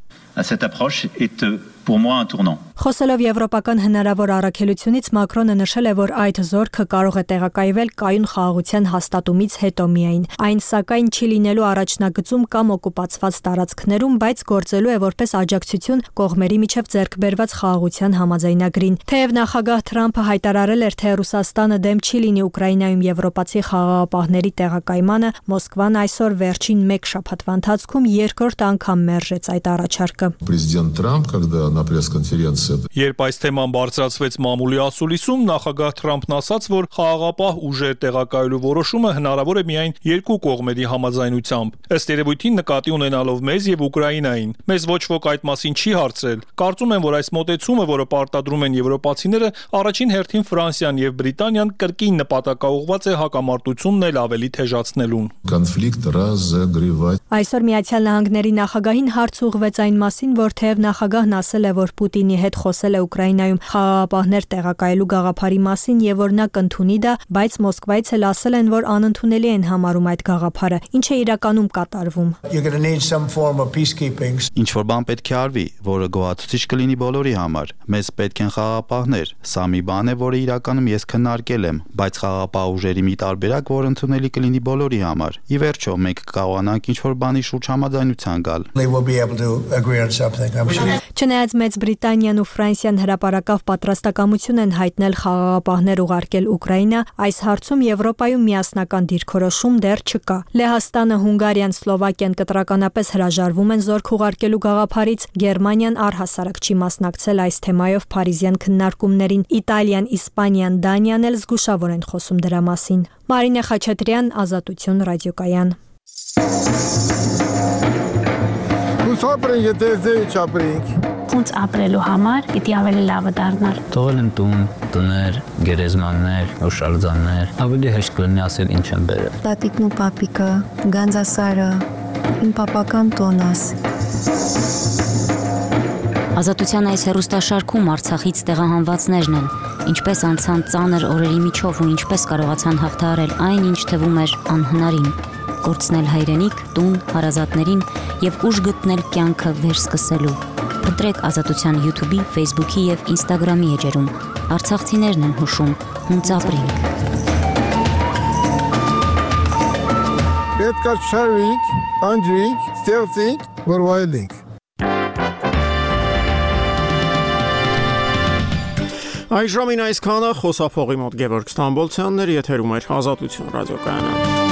P: Cette approche est pour moi un tournant.
O: Խոսելով եվրոպական հնարավոր առաքելությունից Մակրոնը նշել է, որ այդ զորքը կարող է տեղակայվել կայուն խաղաղության հաստատումից հետո միայն։ Այն սակայն չի լինելու առաջնագծում կամ օկուպացված տարածքներում, բայց գործելու է որպես աջակցություն կողմերի միջև ձեռքբերված խաղաղության համաձայնագրին։ Թեև նախագահ Թրամփը հայտարարել էր, թե Ռուսաստանը դեմ չի լինի Ուկրաինայում եվրոպացի խաղաղապահների տեղակայմանը, Մոսկվան այսօր վերջին մեկ շաբաթվա ընթացքում երկրորդ անգամ մերժեց այդ առաջարկը։
Q: Президент Трамп, когда на пресс-конференции
G: Երբ այս թեման բարձրացվեց մամուլի ասուլիսում, նախագահ Թրամփն ասաց, որ խաղաղապահ ուժեր տեղակայելու որոշումը հնարավոր է միայն երկու կողմերի համաձայնությամբ։ Ըստ երևույթին նկատի ունենալով մեզ եւ Ուկրաինային, մեզ ոչ ոք այդ մասին չի հարցրել։ Կարծում եմ, որ այս մոտեցումը, որը պարտադրում են եվրոպացիները, առաջին հերթին Ֆրանսիան եւ Բրիտանիան կրկին նպատակաուղղված է հակամարտությունն էլ ավելի թեժացնելուն։
Q: Конфликт разогревать.
O: Այսօր Միացյալ Նահանգների նախագահին հարց ուղղվեց այն մասին, որ թեև նախագահն ասել ասել է, որ Պուտինի հետ խոսել է Ուկրաինայում խաղաղապահներ տեղակայելու գաղափարի մասին եւ որ նա կընդունի դա, բայց Մոսկվայից էլ ասել են, որ անընդունելի են համարում այդ գաղափարը, ինչը իրականում կատարվում։
B: Ինչ որ բան պետք է արվի, որը գոհացուցիչ կլինի բոլորի համար։ Մեզ պետք են խաղաղապահներ։ Սա մի բան է, որը իրականում ես քննարկել եմ, բայց խաղաղապահ ուժերի մի տարբերակ, որ ընդունելի կլինի բոլորի համար։ Ի վերջո, մենք կկարողանանք ինչ-որ բանի շուրջ համաձայնության գալ։
O: Չնայած Մեծ Բրիտանիան ու Ֆրանսիան հրապարակավ պատրաստակամություն են հայտնել խաղաղապահներ ուղարկել Ուկրաինա, այս հարցում Եվրոպայում միասնական դիրքորոշում դեռ չկա։ Լեհաստանը, Հունգարիան, Սլովակիան կտրականապես հրաժարվում են զորք ուղարկելու գաղափարից, Գերմանիան առհասարակ չի մասնակցել այս թեմայով Փարիզյան քննարկումներին, Իտալիան, Իսպանիան, Դանիան էլ զգուշավոր են խոսում դրա մասին։ Մարինե Խաչատրյան, Ազատություն ռադիոկայան։
F: Ապրենք, եթե ձեի չապրենք։
R: Ոնց ապրելու համար պիտի ավելի լավը դառնալ։
U: Թողել են տուն, տներ, գերեզմաններ, հուշարձաններ, ավելի հեշտ կլինի ասել ինչ են բերել։
V: Տատիկն ու պապիկը, Գանձասարը, իմ պապական տոնաս։
R: Ազատության այս հեռուստաշարքում Արցախից տեղահանվածներն են, ինչպես անցան ծանր օրերի միջով ու ինչպես կարողացան հաղթահարել այն, ինչ թվում էր անհնարին։ Կորցնել հայրենիք, տուն, հարազատներին եւ ուժ գտնել կյանքը վերսկսելու։ Փնտրեք Ազատության YouTube-ի, Facebook-ի եւ Instagram-ի էջերում։ Արցախցիներն են հուշում, հունց ապրենք։
F: Պետք է շարվենք, անջրենք, ստեղծենք, որ վայելենք։
A: Այժմին այսքանը խոսափողի մոտ Գևորգ Ստամբոլցյանն էր, եթերում էր Ազատություն ռադիոկայանը։